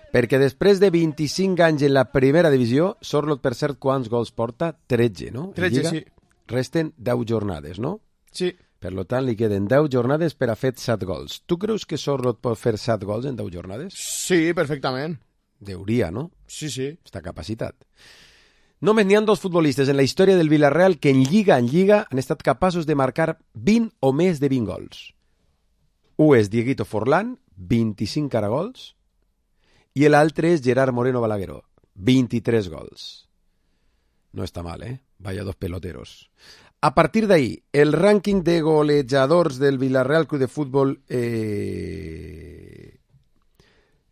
Perquè després de 25 anys en la primera divisió, Sorloth, per cert, quants gols porta? 13, no? 13, sí. Resten 10 jornades, no? Sí. Per tant, li queden 10 jornades per a fer 7 gols. Tu creus que Sorloth pot fer 7 gols en 10 jornades? Sí, perfectament. Deuria, no? Sí, sí. Està capacitat. Només n'hi ha 2 futbolistes en la història del Villarreal que en Lliga han estat capaços de marcar 20 o més de 20 gols. Un és Dieguito Forlán, 25 caragols, i l'altre és Gerard Moreno Balagueró, 23 gols. No està mal, Vaya 2 peloteros. A partir d'ahí, el rànquing de golejadors del Villarreal Club de Futbol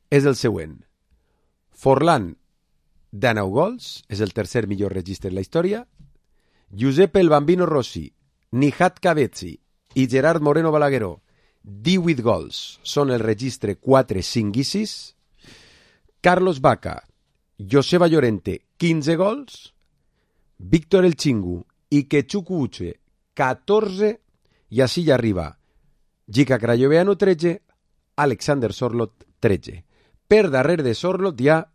és el següent. Forlán, 19 gols, és el tercer millor registre en la història. Giuseppe el Bambino Rossi, Nihat Cavezzi i Gerard Moreno Balagueró, 18 gols, són el registre 4, 5 i 6. Carlos Vaca, Joseba Llorente, 15 gols. Víctor El Chingu i Quechucu Uche, 14. I així ja arriba Gica Crayoveanu, 13. Alexander Sorloth, 13. Per darrere de Sorloth hi ha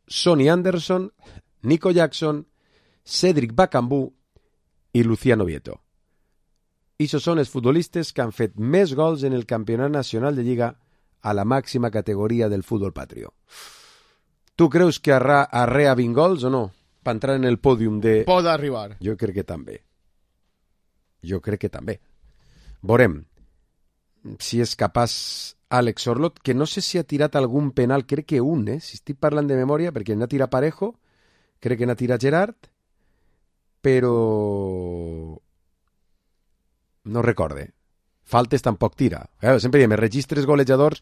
Sonny Anderson, Nico Jackson, Cédric Bakambu i Luciano Vieto. I això són els futbolistes que han fet més gols en el Campionat Nacional de Lliga a la màxima categoria del futbol patrio. Tu creus que arrea 20 gols o no? Per entrar en el pòdium de... Pot arribar. Jo crec que també. Veurem si és capaç Alex Sorloth, que no sé si ha tirat algun penal, crec que un, si estic parlant de memòria, perquè n'ha tirat Parejo, crec que n'ha tirat Gerard, però no recorde. Faltes tampoc tira. Sempre diem, els registres golejadors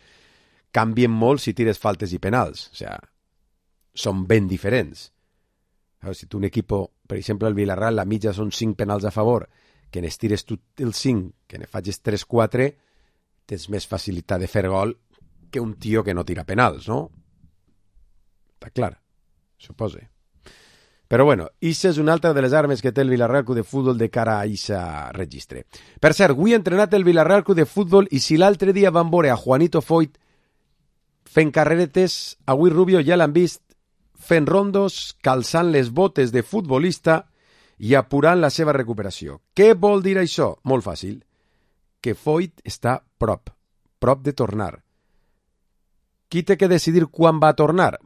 canvien molt si tires faltes i penals. O sigui, són ben diferents. Si tu un equip, per exemple, el Villarreal, la mitja són 5 penals a favor, que n'estires tu els 5, que ne facis 3-4, tens més facilitat de fer gol que un tio que no tira penals, no? Està clar, suposo. Però bueno, això és una altra de les armes que té el Villarreal Club de Futbol de cara a aquest registre. Per cert, avui ha entrenat el Villarreal Club de Futbol i si l'altre dia van veure a Juanito Foyt fent carreretes, avui Rubio ja l'han vist fent rondos, calçant les botes de futbolista i apurant la seva recuperació. Què vol dir això? Molt fàcil. Que Foyt està prop de tornar. Qui té que decidir quan va tornar?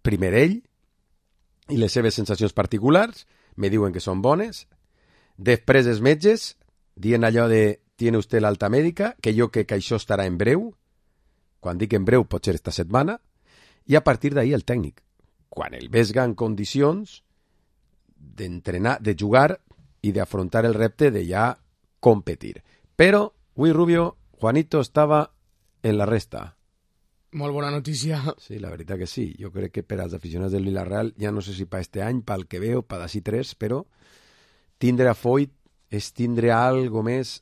Primer ell, i les seves sensacions particulars, me diuen que són bones. Després els metges, dient allò de «tiene usted l'alta mèdica», que jo crec que això estarà en breu. Quan dic en breu pot ser esta setmana. I a partir d'ahí el tècnic. Quan el vesga en condicions d'entrenar, de jugar i d'afrontar el repte de ja competir. Però, avui Rubio, Juanito estava en la resta. Molt bona notícia. Sí, la veritat que sí. Jo crec que per als aficionats del Villarreal, ja no sé si per este any, pel que veo, per d'ací 3, però tindre a Foyt és tindre algo més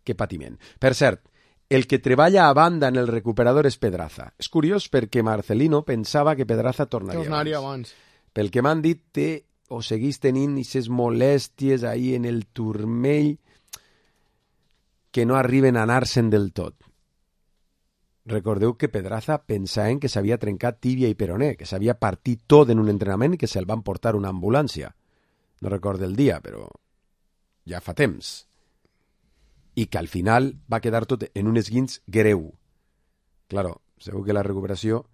que patiment. Per cert, el que treballa a banda en el recuperador és Pedraza. És curiós perquè Marcelino pensava que Pedraza tornaria abans. Pel que m'han dit, té o seguís tenint aquestes molèsties ahí en el turmell. que no arriben a anar-se'n del tot. Recordeu que Pedraza pensaven que s'havia trencat tíbia i peroné, que s'havia partit tot en un entrenament i que se'l van portar una ambulància. No recordo el dia, però ja fa temps. I que al final va quedar tot en un esguinç greu. Claro, segur que la recuperació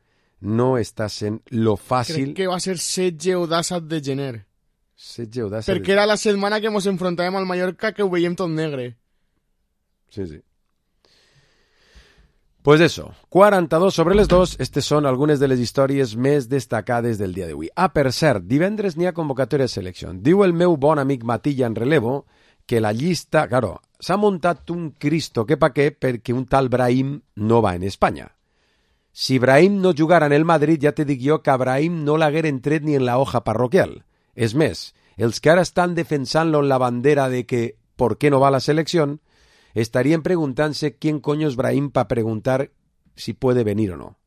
no està sent lo fàcil. Crec que va ser 16 o 17 de gener. 16 o 17. Perquè era la setmana que ens enfrontàvem al Mallorca, que ho veiem tot negre. Sí, sí. Pues eso, 42 sobre les 2, estes són algunes de les històries més destacades del dia d'avui. Ah, per cert, divendres n'hi ha convocatòria de selecció. Diu el meu bon amic Matilla en relevo que la llista, claro, s'ha muntat un Cristo que pa què perquè un tal Brahim no va en Espanya. Si Brahim no jugara en el Madrid, ja te dic jo que a Brahim no l'hagueren tret ni en la hoja parroquial. És més, els que ara estan defensant-lo en la bandera de que ¿por qué no va a la selección?, estarían preguntándose quién coño es Brahim para preguntar si puede venir o no.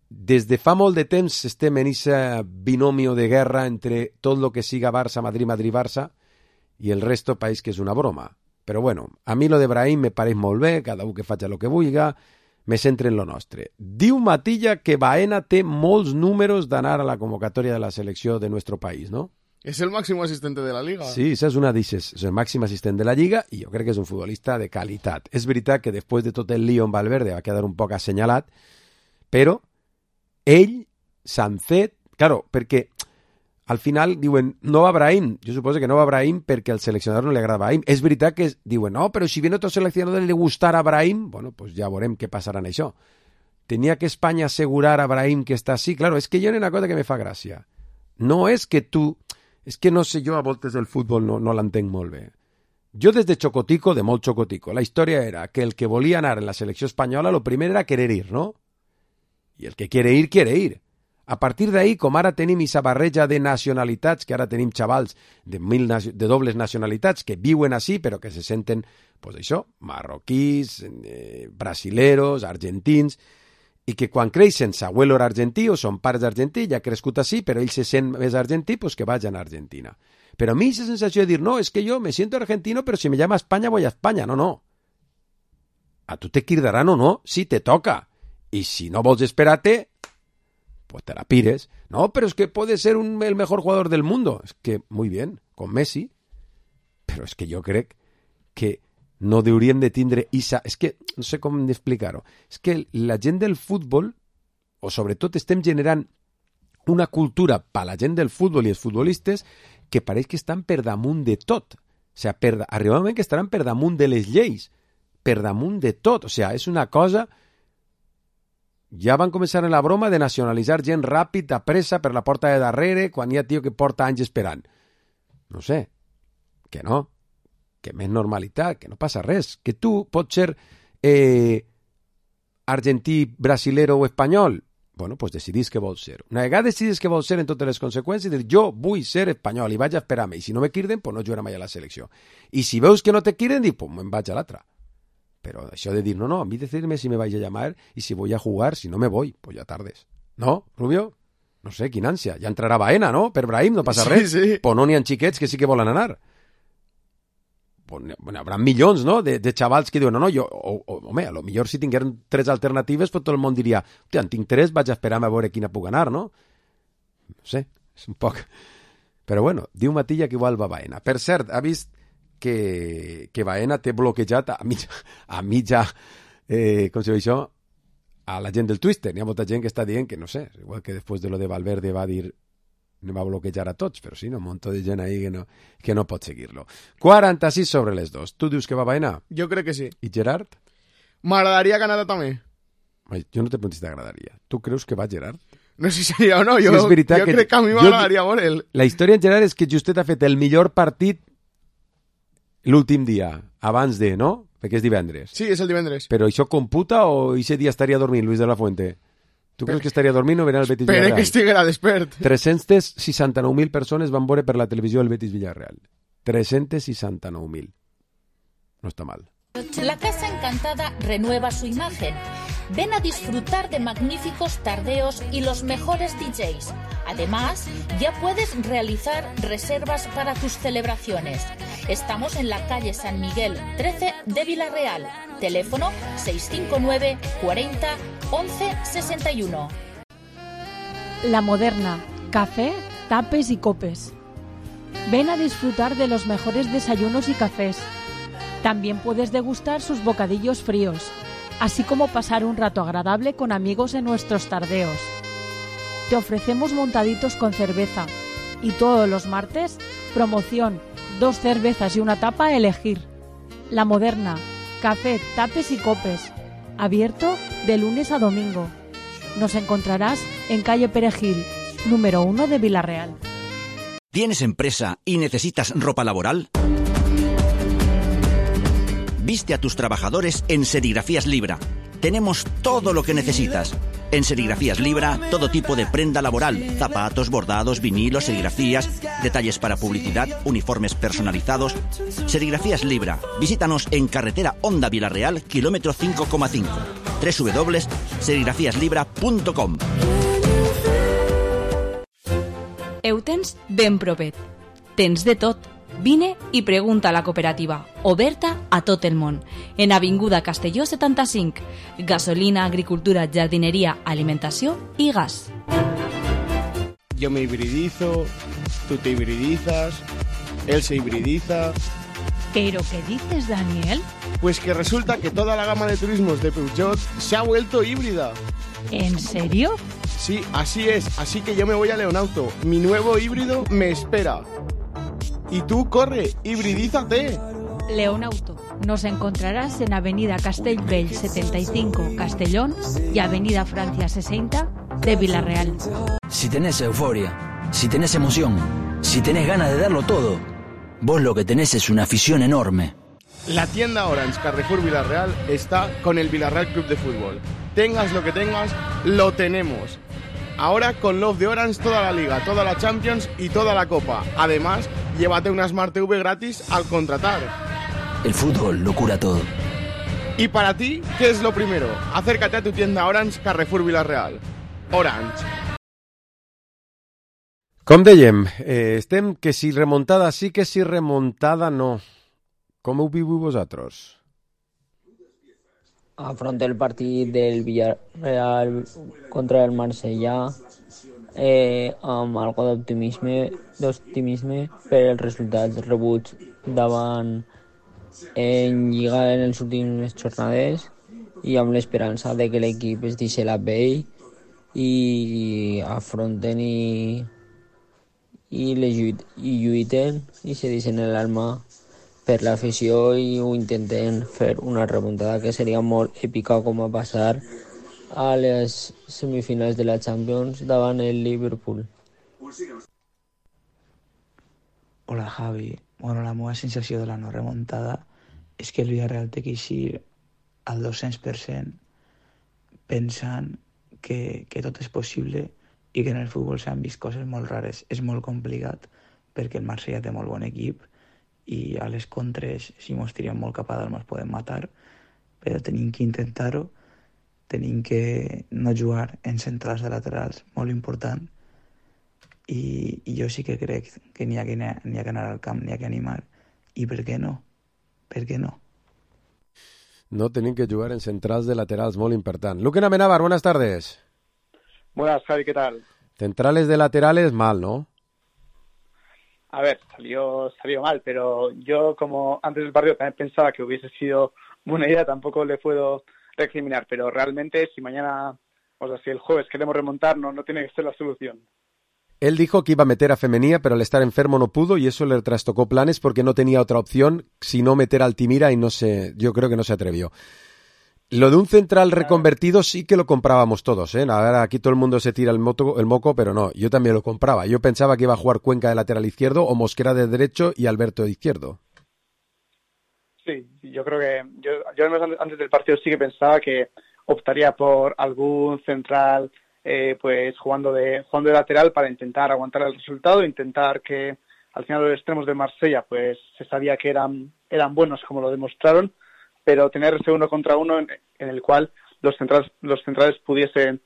Des de fa molt de temps estem en ese binomio de guerra entre tot lo que siga Barça, Madrid, Madrid, Barça i el resto país que és una broma. Però bueno, a mi lo de Brahim me pareix molt bé, cada un que faci lo que vulga, me centre en lo nostre. Diu Matilla que Baena té molts números d'anar a la convocatòria de la selecció de nuestro país, no? És el màxim assistent de la Liga. Sí, esa és una d'ixes. És el màxim assistent de la Lliga i jo crec que és un futbolista de qualitat. És veritat que després de tot el lío en Valverde va quedar un poc assenyalat, però ell s'han fet... Claro, perquè al final diuen no va Brahim. Jo suposo que no va Brahim perquè al seleccionador no li agrada Brahim. És veritat que diuen no, però si viene otro seleccionador le gustarà Brahim, bueno, pues ja veurem què passarà en això. Tenia que Espanya assegurar a Brahim que està així. Claro, és que hi ha una cosa que me fa gràcia. No és que tu... És que no sé, jo a voltes el futbol no l'entenc molt bé. Jo des de xocotico, de molt xocotico, la història era que el que volia anar en la selecció espanyola lo primer era querer ir, no? I el que quiere ir, quiere ir. A partir d'ahí, com ara tenim aquesta barreja de nacionalitats, que ara tenim xavals de dobles nacionalitats que viuen així però que se senten, pues això, marroquís, brasileros, argentins, i que quan creixen s'abuelo era argentí o són pares d'argentí, ja ha crescut així, però ell se sent més argentí, pues que vagin a Argentina. Però a mi esa sensació de dir, no, es que yo me siento argentino, pero si me llama España, voy a España. No, no. A tu te cridaran o no, si te toca. Y si no vols esperarte, pues te la pires. No, pero es que puede ser el mejor jugador del mundo. Es que, muy bien, con Messi. Però és que jo crec que no hauríem de tindre isa... És que, no sé com explicar-ho, és que la gent del futbol, o sobretot estem generant una cultura per la gent del futbol i els futbolistes que pareix que estan per damunt de tot. O sigui, arriba un moment que estaran per damunt de les lleis, per damunt de tot. O sigui, és una cosa... Ja van començar en la broma de nacionalitzar gent ràpid, a pressa, per la porta de darrere, quan hi ha tio que porta anys esperant. No sé, que no, que més normalitat, que no passa res, que tu pots ser argentí, brasilero o espanyol. Bueno, pues decidís que vols ser. Una vegada decidís que vols ser en totes les conseqüències, dir, jo vull ser espanyol i vaig a esperar-me, i si no me quirden, pues no jugaré mai a la selecció. I si veus que no te quirden, dic, pues me'n vaig a l'altra. Pero això de dir, no, a mí decirme si me vais a llamar y si voy a jugar, si no me voy, pues ya tardes. ¿No, Rubio? No sé, quina ànsia. Ja entrarà Baena, no? Per Brahim, no passa res. Sí. Pues no n'hi ha xiquets que sí que volen anar. Pues habrà milions, no?, de xavals que diuen, no, jo, home, a lo millor si tingueren 3 alternatives, pues tot el món diria, en tinc 3, vaig a esperar-me a veure quina puc anar, no? No sé, és un poc... Però bueno, diu Matilla que igual va Baena. Per cert, ha vist que Baena té bloquejat a mitja com se diu això, a la gent del Twitter. Hi ha molta gent que està dient que, no sé, igual que després de lo de Valverde va dir no va bloquejar a tots, però sí, un munt de gent ahí que no pot seguir-lo. 46 sobre les 2. Tu dius que va Baena? Jo crec que sí. I Gerard? M'agradaria que anara també. Jo no te pregunto si t'agradaria. Tu creus que va Gerard? No sé si seria o no, jo crec que a mi m'agradaria veure'l. La història en Gerard és que Justet ha fet el millor partit l'últim dia, abans de, no? Perquè és divendres. Sí, és el divendres. Però això computa o aquest dia estaria dormint, Luis de la Fuente? Tu creus que estaria dormint o verà el Betis Villarreal? Espera que estiguera despert. 369.000 persones van veure per la televisió el Betis Villarreal. 369.000. No está mal. La Casa Encantada renueva su imagen. Ven a disfrutar de magníficos tardeos y los mejores DJs. Además, ya puedes realizar reservas para tus celebraciones. Estamos en la calle San Miguel 13 de Villarreal. Teléfono 659 40 11 61. La Moderna, café, tapes y copes. Ven a disfrutar de los mejores desayunos y cafés. También puedes degustar sus bocadillos fríos, así como pasar un rato agradable con amigos en nuestros tardeos. Te ofrecemos montaditos con cerveza y todos los martes, promoción, 2 cervezas y una tapa a elegir. La Moderna, café, tapes y copes. Abierto de lunes a domingo. Nos encontrarás en calle Perejil, número 1 de Villarreal. ¿Tienes empresa y necesitas ropa laboral? Viste a tus trabajadores en Serigrafías Libra. Tenemos todo lo que necesitas. En Serigrafías Libra, todo tipo de prenda laboral, zapatos, bordados, vinilos, serigrafías, detalles para publicidad, uniformes personalizados. Serigrafías Libra. Visítanos en carretera Honda Villarreal, kilómetro 5,5. www.serigrafiaslibra.com. Eutens ben propet. Tens de tot. Vine i pregunta a la cooperativa, oberta a tot el món. En Avinguda Castelló 75. Gasolina, agricultura, jardinería, alimentació i gas. Yo me hibridizo, tú te hibridizas, él se hibridiza. ¿Pero qué dices, Daniel? Pues que resulta que toda la gama de turismos de Peugeot se ha vuelto híbrida. ¿En serio? Sí, así es. Así que yo me voy a Leonauto. Mi nuevo híbrido me espera. Y tú, corre, hibridízate. Leonauto. Nos encontrarás en Avenida Castellbell 75, Castellón, y Avenida Francia 60 de Villarreal. Si tenés euforia, si tenés emoción, si tenés ganas de darlo todo, vos lo que tenés es una afición enorme. La tienda Orange Carrefour Villarreal está con el Villarreal Club de Fútbol. Tengas lo que tengas, lo tenemos. Ahora con Love de Orange toda la Liga, toda la Champions y toda la Copa. Además, llévate una Smart TV gratis al contratar. El fútbol lo cura todo. Y para ti, ¿qué es lo primero? Acércate a tu tienda Orange Carrefour Villarreal. Orange. Com dèiem, estem que si remuntada sí, que si remuntada no. Com ho viu vosaltres? Afronta el partit del Villarreal contra el Marsella amb algo d'optimisme per els resultats rebuts davant en Lliga en les últimes jornades i amb l'esperança de que l'equip es deixi la pell i afronten i lluiten i se deixen l'alma per l'afició i ho intenten fer una remuntada que seria molt èpica, com a passar a les semifinals de la Champions davant el Liverpool. Hola Javi, bueno, la meva sensació de la no remuntada és que el Villarreal té que eixir al 200% pensant que tot és possible i que en el futbol s'han vist coses molt rares. És molt complicat perquè el Marsella té molt bon equip i a les contres, si mos tirem molt cap a dalt, mos podem matar, però tenim que intentar-ho, tenim que no jugar en centrals de laterals, molt important, i jo sí que crec que n'hi ha que anar al camp, n'hi ha que animar, i per què no? Per què no? No tenim que jugar en centrals de laterals, molt important. Luque Amenábar, buenas tardes. Buenas, Javi, ¿qué tal? Centrales de laterales, mal, ¿no? A ver, salió mal, pero yo como antes del partido también pensaba que hubiese sido buena idea, tampoco le puedo recriminar, pero realmente si mañana, o sea, si el jueves queremos remontar, no tiene que ser la solución. Él dijo que iba a meter a Femenía, pero al estar enfermo no pudo y eso le trastocó planes porque no tenía otra opción sino meter a Altimira y yo creo que no se atrevió. Lo de un central reconvertido sí que lo comprábamos todos, ¿eh? Ahora aquí todo el mundo se tira el moco, pero no, yo también lo compraba. Yo pensaba que iba a jugar Cuenca de lateral izquierdo o Mosquera de derecho y Alberto de izquierdo. Sí, yo creo que yo antes del partido sí que pensaba que optaría por algún central pues jugando de lateral para intentar aguantar el resultado, intentar que al final los extremos de Marsella pues se sabía que eran buenos como lo demostraron, pero tener ese uno contra uno en el cual los centrales pudiesen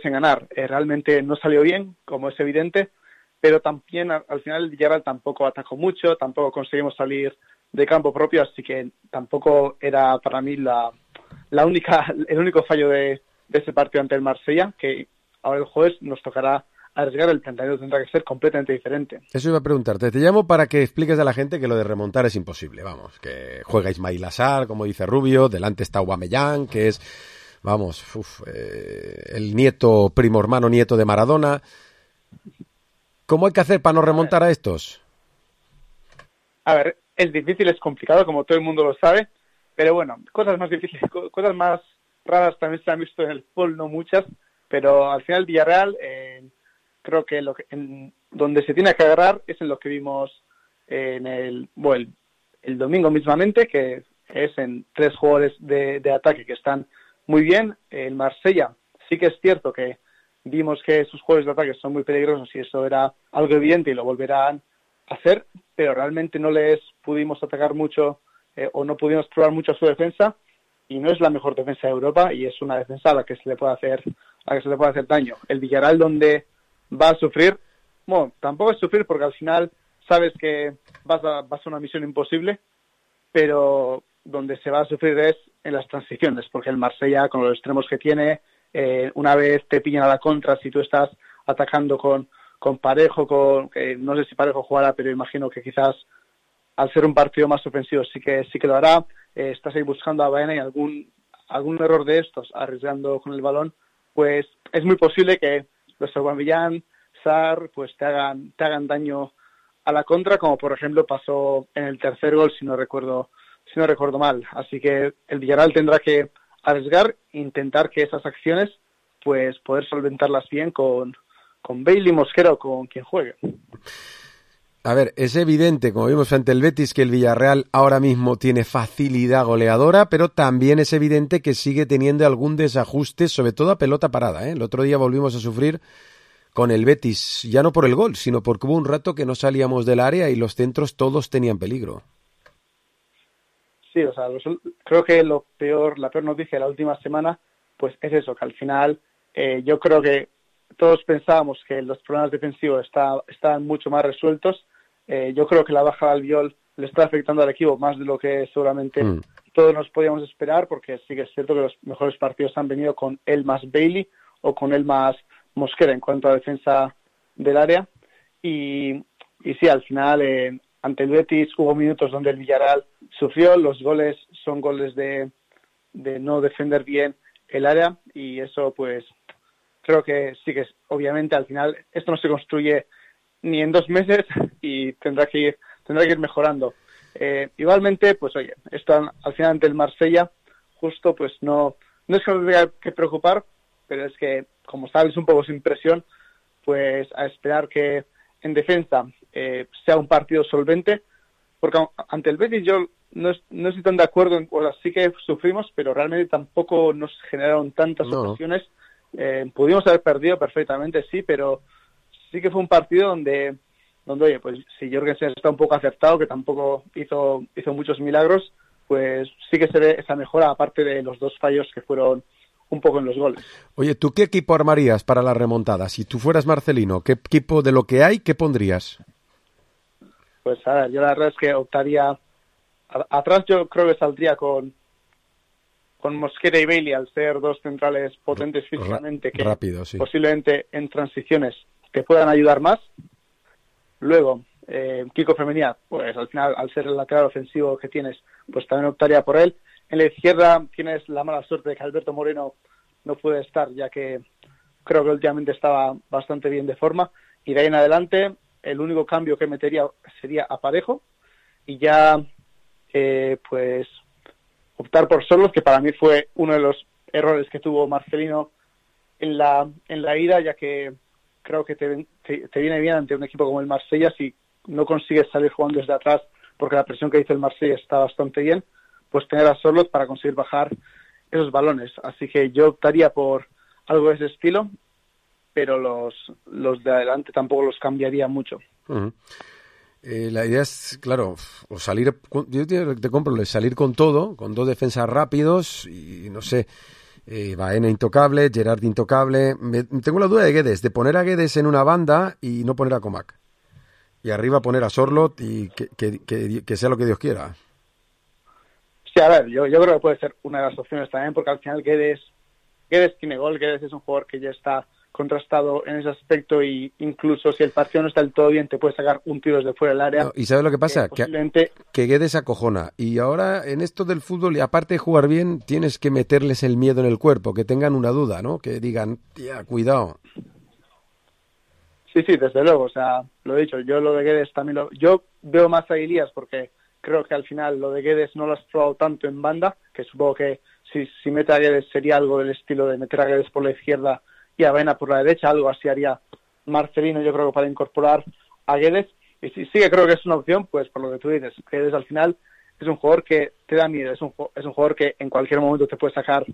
ganar. Realmente no salió bien, como es evidente, pero también al final el Villarreal tampoco atacó mucho, tampoco conseguimos salir de campo propio, así que tampoco era para mí el único fallo de ese partido ante el Marsella, que ahora el jueves nos tocará arriesgar, el planteamiento tendrá que ser completamente diferente. Eso iba a preguntarte. Te llamo para que expliques a la gente que lo de remontar es imposible. Vamos, que juega Ismail Assar, como dice Rubio, delante está Aubameyang, que es, el primo hermano nieto de Maradona. ¿Cómo hay que hacer para no remontar a estos? A ver, es difícil, es complicado, como todo el mundo lo sabe, pero bueno, cosas más difíciles, cosas más raras también se han visto en el fútbol, no muchas, pero al final Villarreal creo que donde se tiene que agarrar es en lo que vimos en el domingo mismamente, que es en 3 jugadores de ataque que están muy bien. El Marsella sí que es cierto que vimos que sus jugadores de ataque son muy peligrosos y eso era algo evidente y lo volverán a hacer, pero realmente no les pudimos atacar mucho o no pudimos probar mucho a su defensa, y no es la mejor defensa de Europa y es una defensa a la que se le puede hacer daño. El Villarreal donde va a sufrir, bueno, tampoco es sufrir porque al final sabes que vas a una misión imposible, pero donde se va a sufrir es en las transiciones, porque el Marsella, con los extremos que tiene, una vez te pillan a la contra, si tú estás atacando con Parejo, no sé si Parejo jugará, pero imagino que quizás al ser un partido más ofensivo sí que lo hará. Estás ahí buscando a Baena y algún error de estos, arriesgando con el balón, pues es muy posible que los Aubameyang, Sarr, pues te hagan daño a la contra, como por ejemplo pasó en el tercer gol, si no recuerdo mal. Así que el Villarreal tendrá que arriesgar, intentar que esas acciones, pues poder solventarlas bien con Bailey, Mosquera o con quien juegue. A ver, es evidente, como vimos ante el Betis, que el Villarreal ahora mismo tiene facilidad goleadora, pero también es evidente que sigue teniendo algún desajuste, sobre todo a pelota parada, ¿eh? El otro día volvimos a sufrir con el Betis, ya no por el gol, sino porque hubo un rato que no salíamos del área y los centros todos tenían peligro. Sí, o sea, creo que la peor noticia de la última semana, pues es eso, que al final yo creo que todos pensábamos que los problemas defensivos estaban mucho más resueltos. Yo creo que la baja de Albiol le está afectando al equipo más de lo que seguramente todos nos podíamos esperar, porque sí que es cierto que los mejores partidos han venido con él más Bailey o con él más Mosquera en cuanto a defensa del área. Y sí, al final ante el Betis hubo minutos donde el Villarreal sufrió. Los goles son goles de no defender bien el área, y eso pues creo que sí que obviamente al final esto no se construye ni en 2 meses y tendrá que ir mejorando. Igualmente, pues oye, esto al final ante el Marsella, justo pues no es que nos tenga que preocupar, pero es que, como sabes, un poco sin presión, pues a esperar que en defensa sea un partido solvente, porque ante el Betis yo no estoy tan de acuerdo, o sea, sí que sufrimos, pero realmente tampoco nos generaron tantas ocasiones. Pudimos haber perdido perfectamente, sí, pero sí que fue un partido donde oye, pues si Jorgensen está un poco acertado, que tampoco hizo muchos milagros, pues sí que se ve esa mejora, aparte de los 2 fallos que fueron un poco en los goles. Oye, ¿tú qué equipo armarías para la remontada? Si tú fueras Marcelino, ¿qué equipo de lo que hay, qué pondrías? Pues a ver, yo la verdad es que optaría atrás, yo creo que saldría con Mosquera y Bailey, al ser 2 centrales potentes físicamente, que rápido, sí, posiblemente en transiciones te puedan ayudar más. Luego, Kiko Femenía, pues al final, al ser el lateral ofensivo que tienes, pues también optaría por él. En la izquierda tienes la mala suerte de que Alberto Moreno no puede estar, ya que creo que últimamente estaba bastante bien de forma. Y de ahí en adelante, el único cambio que metería sería a Parejo, y ya pues optar por Solos, que para mí fue uno de los errores que tuvo Marcelino en la ida, ya que creo que te viene bien ante un equipo como el Marsella si no consigues salir jugando desde atrás, porque la presión que hizo el Marsella está bastante bien, pues tener a Solos para conseguir bajar esos balones. Así que yo optaría por algo de ese estilo, pero los de adelante tampoco los cambiaría mucho. Uh-huh. La idea es, claro, o salir, yo te compro, salir con todo, con 2 defensas rápidos y no sé, Baena intocable, Gerard intocable. Tengo la duda de Guedes, de poner a Guedes en una banda y no poner a Comac. Y arriba poner a Sorloth y que sea lo que Dios quiera. Sí, a ver, yo creo que puede ser una de las opciones también, porque al final Guedes tiene gol, Guedes es un jugador que ya está contrastado en ese aspecto, y incluso si el partido no está del todo bien te puede sacar un tiro desde fuera del área. No, ¿y sabes lo que pasa? Posiblemente... Que Guedes acojona, y ahora en esto del fútbol, y aparte de jugar bien, tienes que meterles el miedo en el cuerpo, que tengan una duda, ¿no? Que digan, tía, cuidado. Sí, desde luego, o sea, lo he dicho, yo lo de Guedes también yo veo más a Elías, porque creo que al final lo de Guedes no lo has probado tanto en banda, que supongo que si mete a Guedes sería algo del estilo de meter a Guedes por la izquierda y a Baena por la derecha, algo así haría Marcelino, yo creo que para incorporar a Guedes, y sí que creo que es una opción, pues por lo que tú dices, Guedes al final es un jugador que te da miedo, es un jugador que en cualquier momento te puede sacar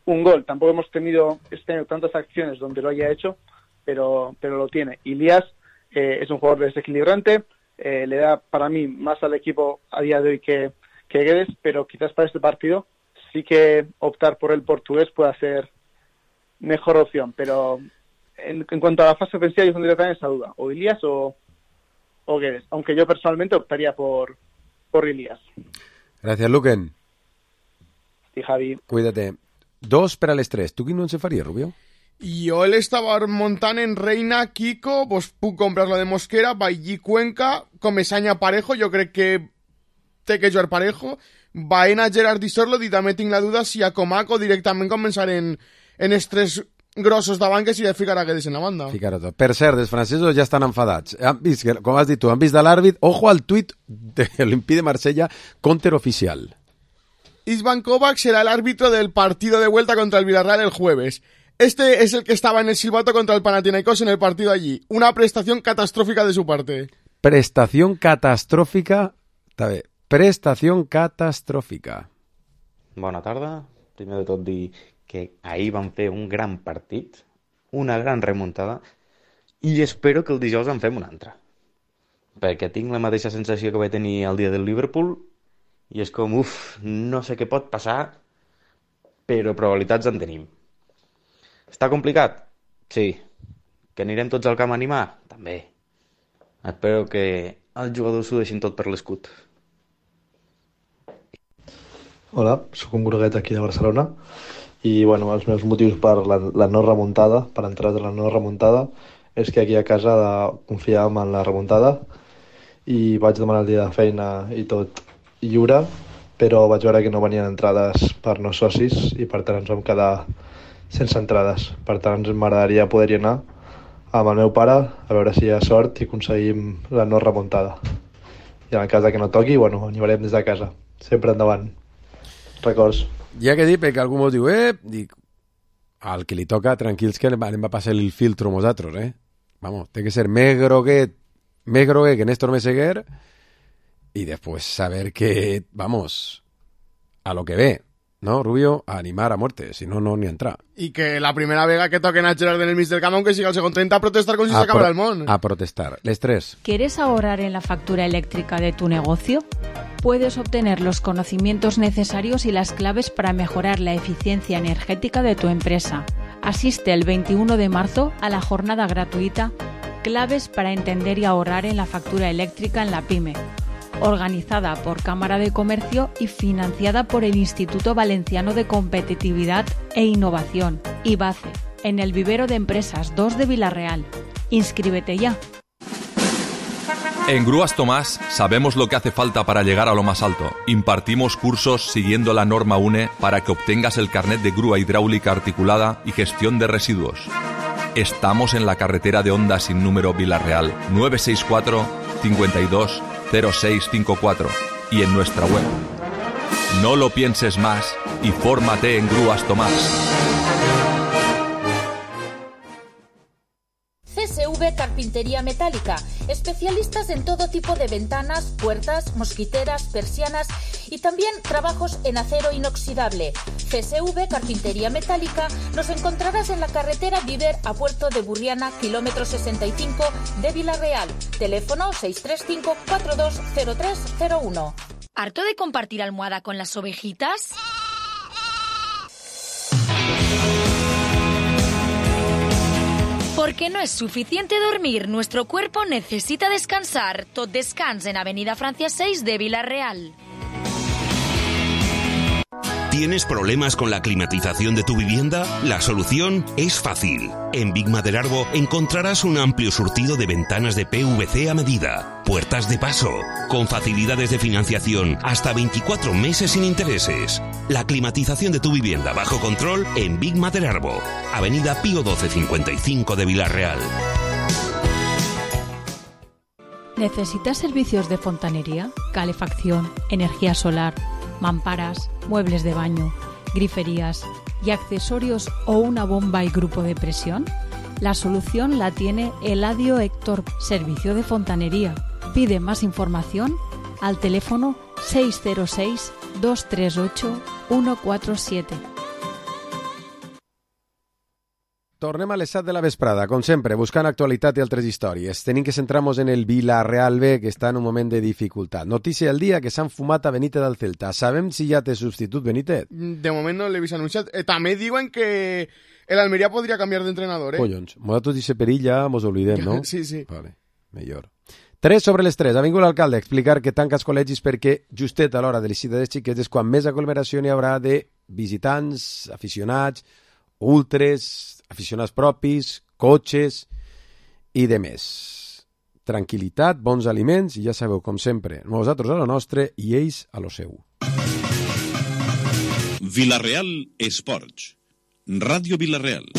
un gol. Tampoco hemos tenido tantas acciones donde lo haya hecho, pero lo tiene. Elías es un jugador desequilibrante, le da para mí más al equipo a día de hoy que Guedes, pero quizás para este partido sí que optar por el portugués pueda ser mejor opción, pero en cuanto a la fase ofensiva yo tendría también esa duda, o Elías o Guedes, aunque yo personalmente optaría por Elías. Gràcies, Luquen. Sí, Javi. Cuídate. 2 per a les 3. Tu quin no en se faria, Rubio? Jo l'estava muntant en Reina, Kiko, pues puc comprar la de Mosquera, Bailly, Cuenca, Comesaña, Parejo, jo crec que té que jugar Parejo, Baena, Gerard i Sorloth, i també tinc la duda si a Comac o directament començar en els 3 grossos davant, que si de ficar a Guedes en la banda. Ficar-ho tot. Per cert, els francesos ja estan enfadats. Han vist, com has dit tu, han vist de l'àrbit, ojo al tuit de l'Olympique de Marsella, counter oficial. Isvan Kovac será el árbitro del partido de vuelta contra el Villarreal el jueves. Este es el que estaba en el silbato contra el Panathinaikos en el partido allí. Una prestación catastrófica de su parte. Prestación catastrófica. Està bé. Prestación catastrófica. Bona tarda. Primer de tot dir que ahir van fer un gran partit, una gran remuntada, i espero que el dijous en fem una altra. Perquè tinc la mateixa sensació que vaig tenir el dia del Liverpool, i és com, no sé què pot passar, però probabilitats en tenim. Està complicat? Sí. Que anirem tots al camp a animar? També. Espero que els jugadors s'ho deixin tot per l'escut. Hola, sóc un groguet aquí de Barcelona i bueno, els meus motius per la no remuntada, per entrar de la no remuntada, és que aquí a casa confiàvem en la remuntada i vaig demanar el dia de feina i tot lliure, però vaig veure que no venien entrades per no socis i per tant ens vam quedar sense entrades. Per tant, m'agradaria poder-hi anar amb el meu pare a veure si hi ha sort i aconseguim la no remuntada. I en el cas que no toqui, bueno, anirem des de casa. Sempre endavant. Records. Ja que dic, perquè algú mos diu, dic, al que li toca, tranquils que anem a passar el filtro nosaltres, Vamos, té que ser més groguet que Néstor Meseguer y después saber que, vamos, a lo que ve, ¿no, Rubio? A animar a muerte, si no, no ni entrar. Y que la primera vega que toquen a Gerard en el mig del camp, aunque siga el segundo 30, a protestar con si se acaba el món. A protestar. Les 3. ¿Quieres ahorrar en la factura eléctrica de tu negocio? Puedes obtener los conocimientos necesarios y las claves para mejorar la eficiencia energética de tu empresa. Asiste el 21 de marzo a la jornada gratuita Claves para entender y ahorrar en la factura eléctrica en la PYME, organizada por Cámara de Comercio y financiada por el Instituto Valenciano de Competitividad e Innovación, IVACE, en el Vivero de Empresas 2 de Villarreal. Inscríbete ya. En Grúas Tomás sabemos lo que hace falta para llegar a lo más alto. Impartimos cursos siguiendo la norma UNE para que obtengas el carnet de grúa hidráulica articulada y gestión de residuos. Estamos en la carretera de Onda sin número Villarreal, 964 52 0654 y en nuestra web. No lo pienses más y fórmate en Grúas Tomás. CSV Carpintería Metálica, especialistas en todo tipo de ventanas, puertas, mosquiteras, persianas y también trabajos en acero inoxidable. CSV Carpintería Metálica nos encontrarás en la carretera Viver a Puerto de Burriana, kilómetro 65 de Villarreal. Teléfono 635 420301. ¿Harto de compartir almohada con las ovejitas? Porque no es suficiente dormir, nuestro cuerpo necesita descansar. Tot Descans en Avenida Francia 6 de Vila-real. ¿Tienes problemas con la climatización de tu vivienda? La solución es fácil. En Big Maderarbo encontrarás un amplio surtido de ventanas de PVC a medida, puertas de paso, con facilidades de financiación hasta 24 meses sin intereses. La climatización de tu vivienda bajo control en Big Maderarbo, Avenida Pío 1255 de Vila-real. ¿Necesitas servicios de fontanería, calefacción, energía solar, mamparas, muebles de baño, griferías y accesorios o una bomba y grupo de presión? La solución la tiene Eladio Héctor, Servicio de Fontanería. Pide más información al teléfono 606 238 147. Tornem a les 7 de la vesprada, com sempre, buscant actualitat i altres històries. Tenim que centrar-nos en el Vila-real B, que està en un moment de dificultat. Notícia del dia que s'han fumat a Benítez del Celta. Sabem si ja té substitut Benítez? De moment no l'he vist anunciat. També diuen que el Almería podria canviar d'entrenador, Collons, nosaltres d'aquest perill ja mos oblidem, no? Sí. Vale, millor. 3 sobre les 3. Ha vingut l'alcalde a explicar que tanca els col·legis perquè justet a l'hora de l'eixida dels xiquets és quan més aglomeració n'hi haurà de visitants, aficionats, ultres, aficionats propis, cotxes i de més. Tranquilitat, bons aliments i ja sabeu, com sempre, nosaltres a lo nostre i ells a lo seu. Vila-real Esports. Ràdio Vila-real.